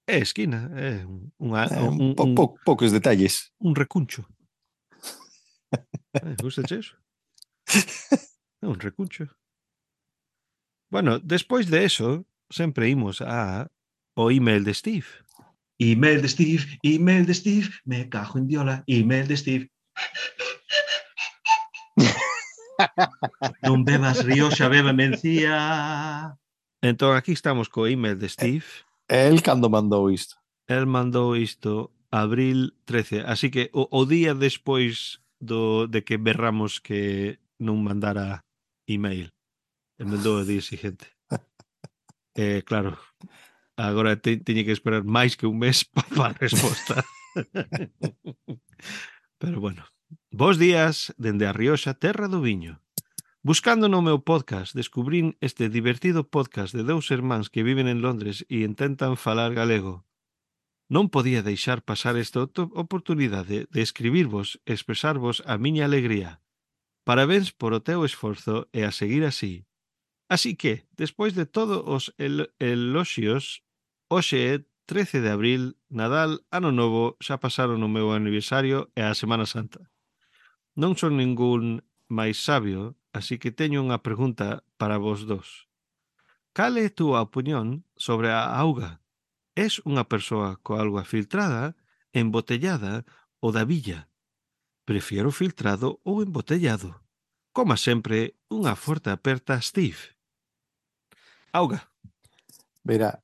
É esquina, é unha, Eh, un, po, un, po, poucos detalles. un recuncho. Eh, gustache eso? É un recuncho. Bueno, despois de eso, sempre imos a o email de Steve. Email de Steve, email de Steve, me cajo en diola, email de Steve. Non bebas Rioxa, beba mencía. Entón, aquí estamos co email de Steve. El cando mandou isto. El mandou isto abril trece, así que o, o día despois do, de que berramos que non mandara email. E mandou o día siguiente. Eh, claro, agora te, teñe que esperar máis que un mes para a resposta. Pero bueno. Bos días dende a Rioxa, terra do viño. Buscando no meu podcast, descubrín este divertido podcast de dous irmáns que viven en Londres e intentan falar galego. Non podía deixar pasar esta oportunidade de escribirvos e expresarvos a miña alegría. Parabéns por o teu esforzo e a seguir así. Así que, despois de todos os el eloxios, hoxe é trece de abril, Nadal, Ano Novo, xa pasaron o meu aniversario e a Semana Santa. Non son ningún máis sabio, así que teño unha pregunta para vos dos. Cal é a túa opinión sobre a auga? Es unha persoa co auga filtrada, embotellada ou da villa? Prefiero filtrado ou embotellado. Como sempre, unha forte aperta, Steve. Auga. Mira,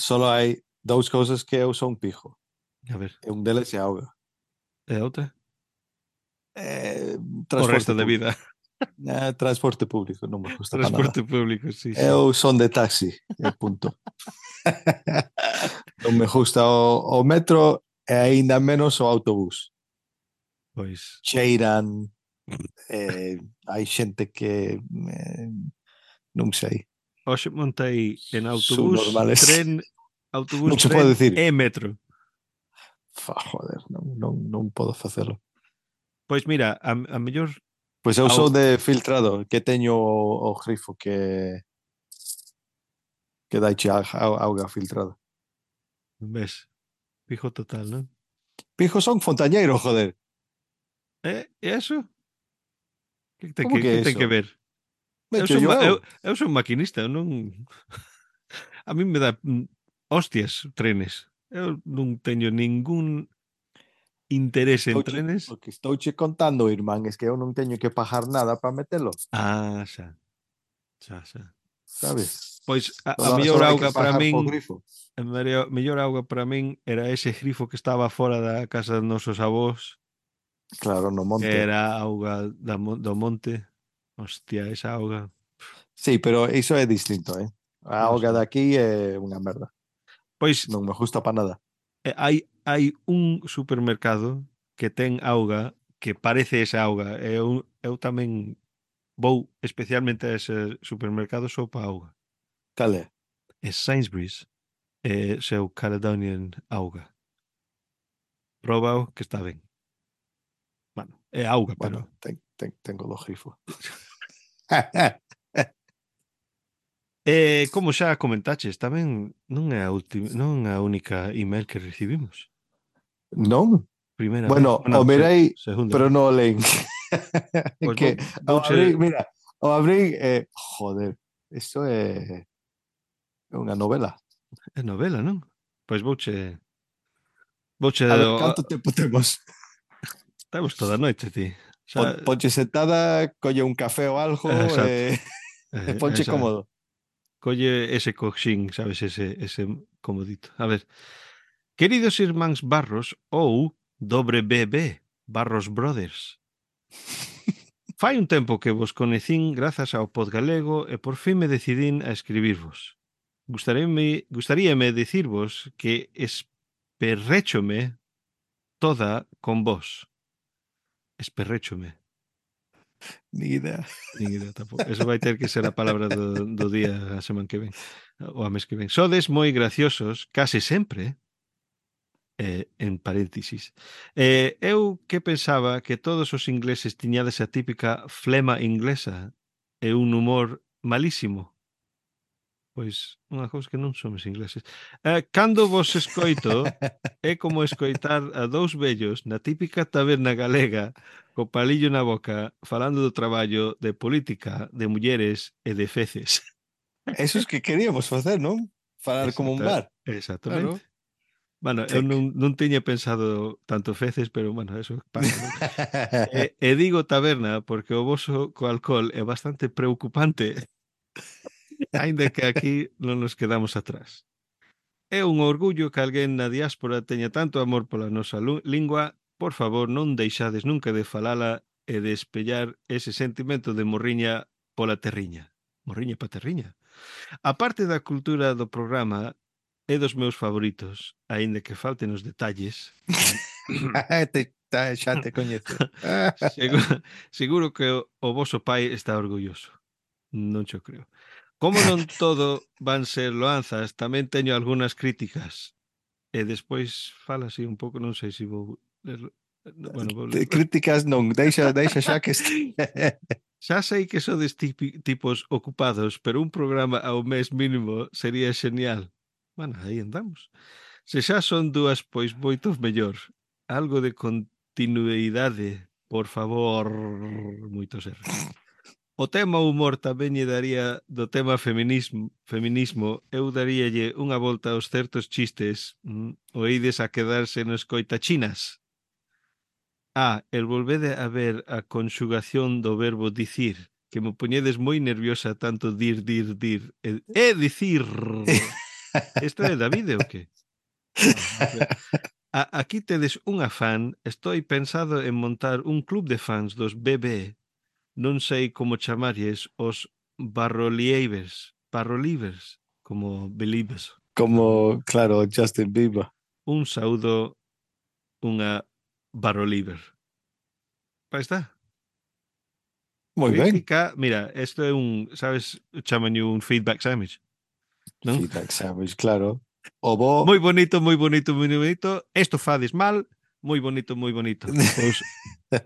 solo hai dous cousas que eu son pijo. A ver, E un deles é auga. e a outra? Eh, O resto de público. vida. Eh, transporte público, non me gusta para Transporte nada. público, sí, sí. Eu son de taxi, e punto. Non me gusta o, o metro e aínda menos o autobús. Pois, Cheiran, eh, hai xente que eh, non sei, hoxe montei en son autobús, normales. tren, autobús, Non se pode tren decir. e metro. Fa, joder, non, non, non podo facelo. Pois mira, a, a mellor Pois eu Au- sou de filtrado, que teño o, o grifo que que daiche a, a, auga filtrada. ves, fijo total, non? Pijo son fontañeiro, joder. E, e eso? Que ten Como que, que que é ten que eso? ver? Me Eu cho son, yo ma- eu, eu. eu son maquinista, eu non... A mí me dá mm, hostias trenes. Eu non teño ningún interés en Estouche, trenes. o que estouche contando, irmán, es que eu non teño que pagar nada para metelo, Ah, xa, xa, xa. sabes? Pois a, a Só, mellor só hai que auga para pagar po min, grifo. a mellor, mellor auga para min era ese grifo que estaba fora da casa dos nosos avós, Claro, no que monte. era auga da, mon- do monte. Hostia, esa auga. Sí, pero iso é distinto, eh? A Non auga sei. de aquí é unha merda. Pois Non me gusta para nada. eh, hai hai un supermercado que ten auga que parece esa auga. Eu, eu tamén vou especialmente a ese supermercado só para auga. Cal é? É Sainsbury's, é seu Caledonian auga. Probao que está ben. Bueno, é auga, pero Bueno, ten, ten, tengo do grifo. eh, como xa comentaches, tamén non é a última, non é a única email que recibimos. Non? Primeira vez, Bueno, bueno, o se, mirei, segunda pero vez. non o lein. Pois Que vou, o abrí, vouche, mira, o abrí, eh, joder, isto é é unha novela. é novela, non? Pois vouche, vouche, A ver, o- canto tempo temos? estamos toda a noite, ti. Pon, Xa, ponche sentada, colle un café ou algo, exacto. eh, e Eh, ponche esa, cómodo. colle ese coxín, sabes, ese, ese comodito. A ver, queridos irmáns Barros ou dobre B B, Barros Brothers. Fai un tempo que vos conecín grazas ao Podgalego e por fin me decidín a escribirvos. Gustaríame, gustaríame dicirvos que esperréchome toda con vos. Esperréchome. Ni idea. Nin idea tampouco. Eso vai ter que ser a palabra do, do día a semana que ven. O a mes que ven. Sodes moi graciosos, case sempre, eh, en paréntesis. Eh, eu que pensaba que todos os ingleses tiñades a típica flema inglesa e un humor malísimo. Pois unha cousa que non somos ingleses. Eh, cando vos escoito, é como escoitar a dous vellos na típica taberna galega co palillo na boca falando do traballo, de política, de mulleres e de feces. Eso es que queríamos facer, non? Falar como un Exacta- bar. Exactamente. Claro. Bueno, eu Check. non, non tiña pensado tanto feces, pero, bueno, eso pasa, non? E, e digo taberna porque o voso co alcohol é bastante preocupante, aínda que aquí non nos quedamos atrás. É un orgullo que alguén na diáspora teña tanto amor pola nosa lu- lingua. Por favor, non deixades nunca de falala e de espellar ese sentimento de morriña pola terriña. Morriña pa terriña. A parte da cultura do programa é dos meus favoritos, aínda que falten os detalles. te, ta, xa te coñezo. Seguro, seguro que o, o voso pai está orgulloso. Non xo creo. Como non todo van ser loanzas, tamén teño algunhas críticas. E despois fala así un pouco, non sei se vou lerlo. Bueno, vou Te- lerlo. Críticas non, deixa, deixa xa que este. Xa sei que sodes tipi, tipos ocupados, pero un programa ao mes mínimo sería xenial. Bueno, aí andamos. Se xa son dúas, pois moito mellor. Algo de continuidade, por favor, moitos erros. O tema humor tamén lle daría do tema feminismo, feminismo, eu daríalle unha volta aos certos chistes, mm, oídes a quedarse no escoitachinas. Ah, el volvede a ver a conxugación do verbo dicir, que me poñedes moi nerviosa tanto dir, dir, dir, e, e dicir. Isto é David ou que? Ah, a, aquí tedes unha fan, estou pensado en montar un club de fans dos B B. Non sei como chamarlles os barrolievers, barrolivers, como believers. Como, claro, Justin Bieber. Un saúdo, unha barro liber. Aí está. Moi ben. Crítica, mira, isto é un, sabes, chaman un feedback sandwich, non? Feedback sandwich, claro. O bo... Moi bonito, moi bonito, moi bonito. Isto fades mal, moi bonito, moi bonito. Pois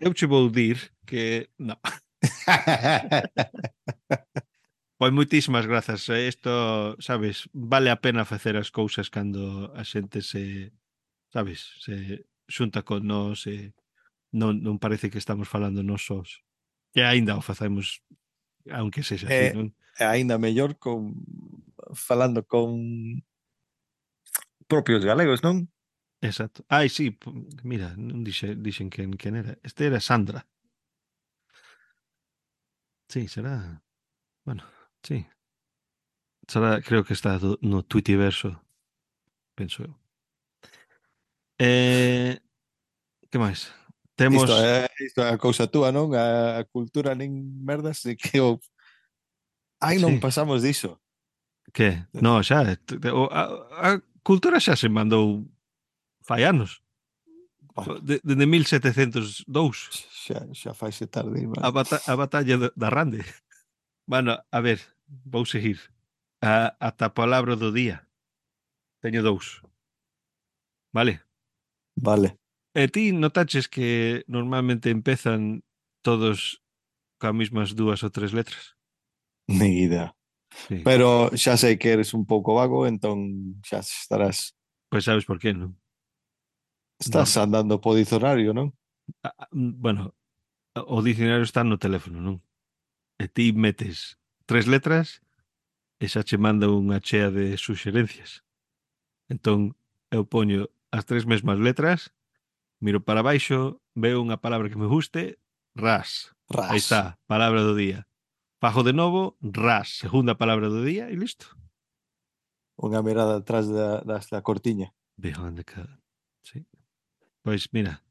eu che vou dir que non. Pois moitísimas grazas. Isto, sabes, vale a pena facer as cousas cando a xente se, sabes, se xunta con nós e non, non parece que estamos falando nós sós. E aínda o facemos, aunque sexa así, É, non? é aínda mellor con falando con propios galegos, non? Exacto. Ai, sí, p- mira, non dixe, dixen quen, quen era. Este era Sandra. Sí, será, bueno, sí. Será, creo que está do, no Twitterverso, penso eu. Eh, que máis? Isto Temos, é, isto é a cousa túa, non? A, a cultura nin merdas e que o... Ai, non sí, pasamos diso. que? No, xa, t- t- o- a, a cultura xa se mandou fai anos. Bueno, De, de mil setecentos e dous. xa, xa faise tarde, A, vale. bata, a batalla da da Rande. Bueno, a ver, vou seguir. A, ata a palabra do día. Teño dous. Vale? Vale. E ti notaches que normalmente empezan todos coas mesmas dúas ou tres letras? Ni idea. Sí. Pero xa sei que eres un pouco vago, entón xa estarás Pois sabes por qué, non? estás Norm- andando po dicionario, non? a- a- bueno, o dicionario está no teléfono, non? E ti metes tres letras e xa che manda unha chea de suxerencias. Entón, eu poño as tres mesmas letras, miro para baixo, veo unha palabra que me guste, ras. Aí Ras. está, palabra do día. Fajo de novo, ras, segunda palabra do día e listo. Unha mirada atrás da, das da cortiña. Behind the curtain. Sí. Pois mira,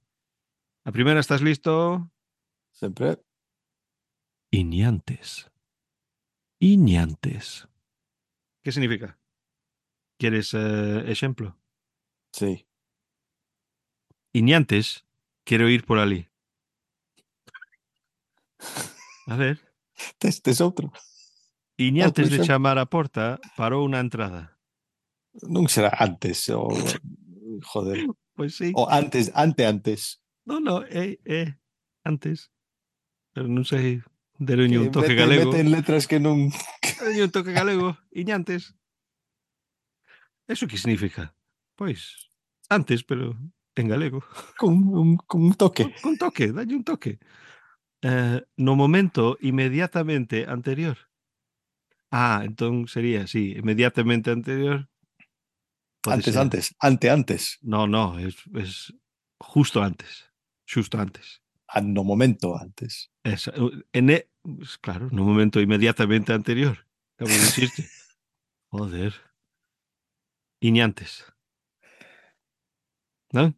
a primeira estás listo? Sempre. Iñantes. Iñantes. Que significa? Queres eh, exemplo? Sí. Iñantes, quero ir por ali. A ver. Tes, tes outro. Iñantes Outro de exemplo. chamar á porta, parou na entrada. Non será antes o... Joder. Pois sí. O antes, ante antes. Non, non, é, é antes. Pero non sei, deronlle un Que toque mete, galego. meten letras que non... Deronlle un toque galego. Iñantes. Eso que significa? Pois, antes, pero en galego. Con un, con un toque. Con, con toque, dalle un toque. Eh, no momento inmediatamente anterior. Ah, entón sería, sí, inmediatamente anterior. Pode Antes, ser. antes. Ante antes. No, no, es, es justo antes. Xusto antes. Ah, no momento antes. Esa, en e, pues, claro, no momento inmediatamente anterior. Acabo de dicirte. Joder. Iñantes. Non?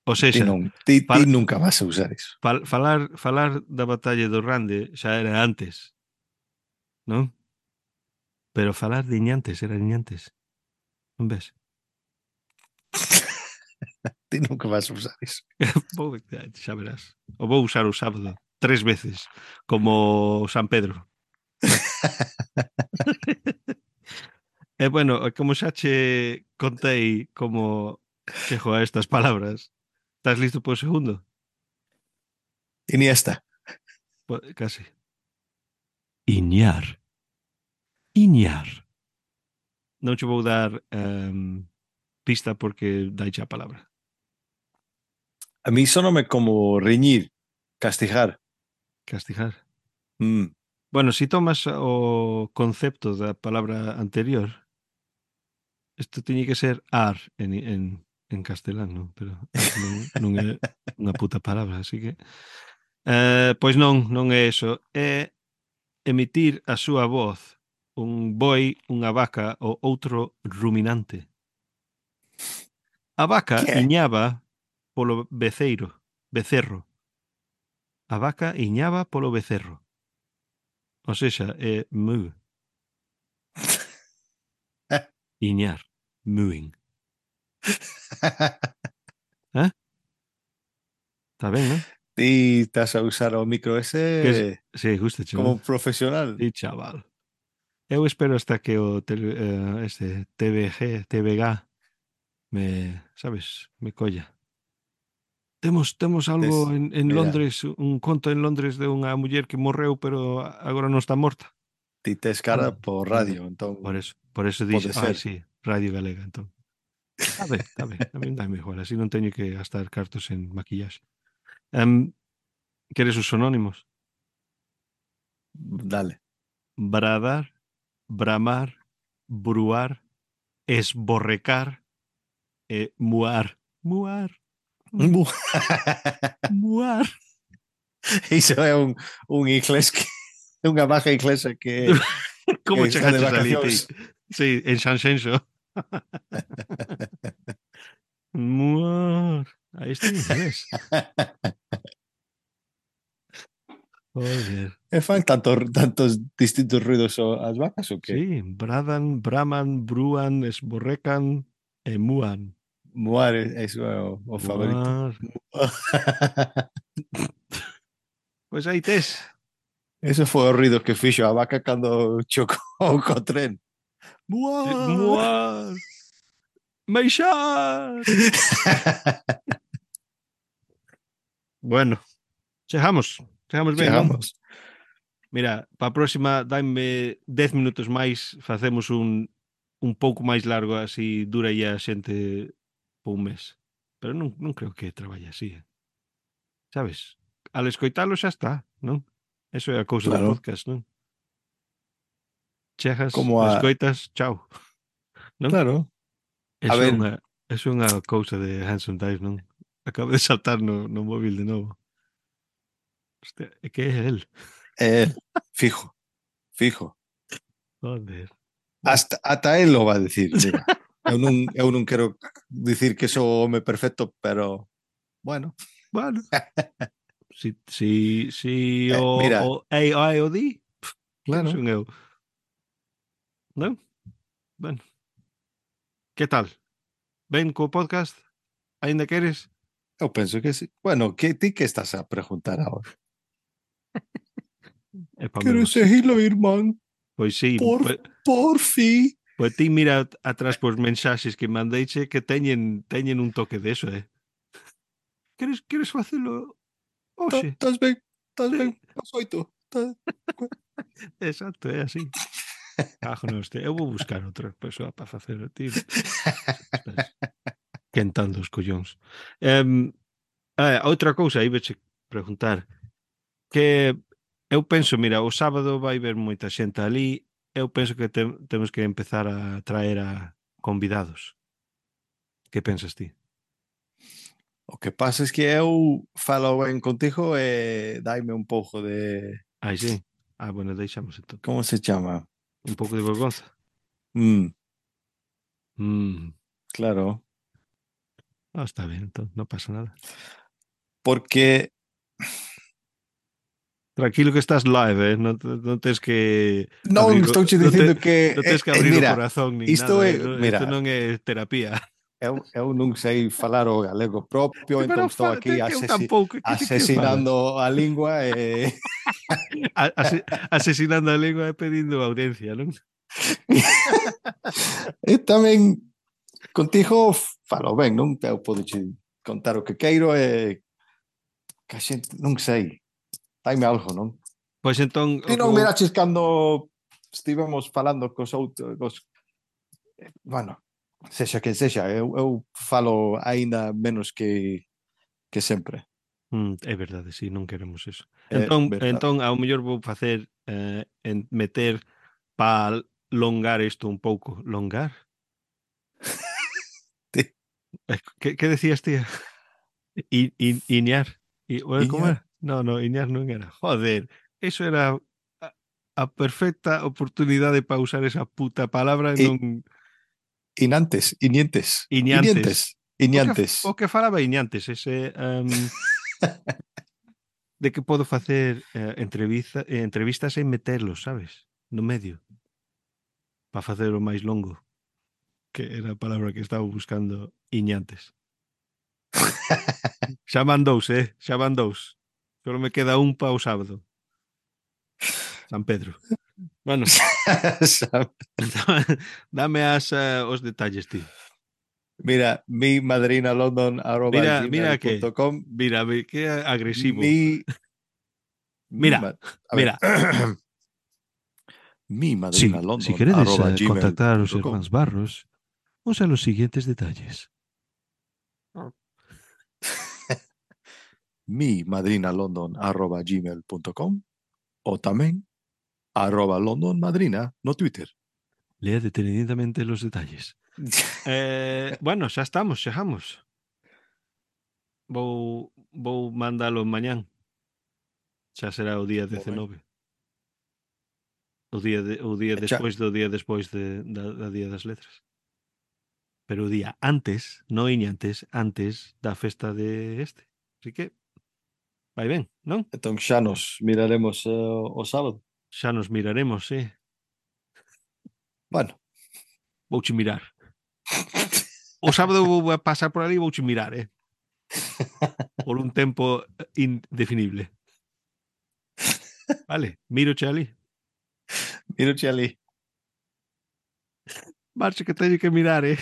Ou Ti, seja, non, ti, ti fal, nunca vas a usar iso. fal, falar, falar da batalla do Rande xa era antes, non? Pero falar de Iñantes era Iñantes. Non ves? Ti nunca vas a usar iso. Vou, xa verás. O vou usar o sábado tres veces, como San Pedro. E bueno, como xa che contei como chego a estas palabras, estás listo para o segundo? Iniesta. Po- Casi. Iñar. Iñar. Non che vou dar um, pista porque dai a palabra. A mí sonome como riñir, castigar. Castigar. Mm. Bueno, si tomas o concepto da palabra anterior, isto tiñe que ser ar en, en, en castelán, non? Pero ar non, non é unha puta palabra, así que... Eh, pois non, non é eso. É emitir a súa voz un boi, unha vaca ou outro ruminante. A vaca Que é? iñaba polo beceiro, becerro. A vaca iñaba polo becerro. Ou sexa, é mu. Iñar. mooing. Eh? Está ben, non? Ti estás a usar o micro Que es, ese sí, gusta, como non? profesional. Sí, chaval. Eu espero hasta que o tele, eh, este T V G, T V G me, sabes, me colla. Temos temos algo Tes- en, en mira, Londres, un conto en Londres de unha muller que morreu pero agora non está morta. ti tes cara Joder, por joder. radio, Por entón eso, por eso pode dixe, ai, ser. sí, Radio Galega, entón. Está ben, está ben, a mí dame igual, así non teño que gastar cartos en maquillaxe. Um, queres os sonónimos? Dale. Bradar, bramar, bruar, esborrecar e muar. Muar, muar. Iso é un, un inglés que unha baja inglesa que, que Como está de chegaches ali, ti? vacacións. Sí, en Xanxenxo. Muar. Aí está en inglés. Joder. E fan tantos, tantos distintos ruidos o- as vacas ou que? Sí, bradan, braman, bruan, esborrecan e muan. Muar, eso é o, o favorito. Muar. Pois aí tes. Eso foi o ruido que fixo a vaca cando chocou co tren. Muar. Muar. Meixar. Bueno, chegamos. Chegamos ben, non? Chegamos. Mira, para a próxima daime dez minutos máis, facemos un un pouco máis largo, así dura a xente por un mes. Pero non, non creo que traballe así, eh. Sabes? Al escoitalo xa está, non? Eso é a cousa do Claro. podcast, non? Chegas, Como a... escoitas, chao. Non? Claro. A Eso é ver. unha, eso é unha cousa de Hanson Dive, non? Acabo de saltar no, no móvil de novo. Hostia, é que é el. Eh, fijo. Fijo. Joder. Hasta, ata él lo va a decir, mira. Eu non, eu non quero dicir que sou o home perfecto, pero bueno. Bueno. Si, si, si Eh, o, mira. o A I o di, Claro. son eu. Non? Bueno. Que tal? Ben co podcast? Ainda queres? Eu penso que sí. Bueno, que ti que estás a preguntar ahora? É pa Quero menos. seguilo, irmán. Pois sí, Por, pois, por fi. pois ti mira atrás pos mensaxes que mandeiche que teñen teñen un toque de eso, eh. Queres queres facelo hoxe? Estás ben, estás Sí. ben, as oito. Exacto, é así. Cajo no este. Eu vou buscar outra persoa para facer o tiro. Estás quentando os collóns. Um, ah, outra cousa, aí veche preguntar que eu penso, mira, o sábado vai ver moita xente ali, eu penso que te, temos que empezar a traer a convidados. Que pensas ti? O que pasa es que eu falo ben contigo e daime un pouco de... Ai, sí. Ah, bueno, deixamos entón. Como se chama? Un pouco de vergonza. Mm, Mm. claro. Ah, está ben, entón, non pasa nada. Porque... Tranquilo que estás live, eh? Non, non tens que... Non abrir o- estou che non dicindo te- que... Non tens que eh, eh, abrir mira, o corazón ni isto nada. é... eh, non- Mira, Isto non é terapia. eu, eu non sei falar o galego propio, Pero entón estou fa- aquí que eu asesi tampouco, que ti que asesinando a lingua e... A- ase- asesinando a lengua e pedindo audiencia, non? e tamén contigo falo ben, non? Eu podo che contar o que queiro e que a xente, non sei, daime algo, non? Pois entón... Ti o que non vou- miraches cando estivemos falando cos outros, bueno, sexa quen sexa, eu, eu falo aínda menos que, que sempre. Mm, é verdade, sí, non queremos eso. É Entón, verdade. entón ao mellor vou facer eh, en meter para longar isto un pouco. Longar? Ti. Eh, Que, que decías, tía? I, i, iñar. I, bueno, como Iñar. era? No, no, iñar non era. Joder, eso era a, a perfecta oportunidade para usar esa puta palabra e I- non... Inantes, inientes. Iñantes. Inientes. O que, Iniantes. o que falaba iñantes, ese... Um, de que podo facer eh, entrevista, eh, entrevistas e meterlos, sabes? No medio. Para facer o máis longo. que era a palabra que estaba buscando iñantes. Xa van dous, eh? Xa van dous. Solo me queda un para o sábado. San Pedro. Bueno, dame as, uh, os detalles, tío. Mira, mi madrina london arroba Mira, gmail mira que, punto com. mira, ve- que agresivo. Mi, Mira, mi ma- a mira. ver. Mi Sí, madrina si london queredes arroba eh, gmail contactar a los punto com. hermanos Barros, usa los siguientes detalles. Mi madrina london arroba gmail punto com o tamén arroba london madrina no Twitter. Lea detenidamente los detalles. Eh, bueno, xa estamos, chegamos. Vou, vou mandalo mañán. Xa será o día Moi ben. dezenove. O día, de, o día E xa- despois do día despois de, da, da Día das Letras. Pero o día antes, non iñantes, antes da festa de este. Así que, vai ben, non? Entón xa nos miraremos eh, o sábado. Xa nos miraremos, sí. Bueno, Vouche mirar. O sábado vou a pasar por ali e vouche mirar, eh? Por un tempo indefinible. Vale, míroche ali. míroche ali. Marche que teño que mirar, eh?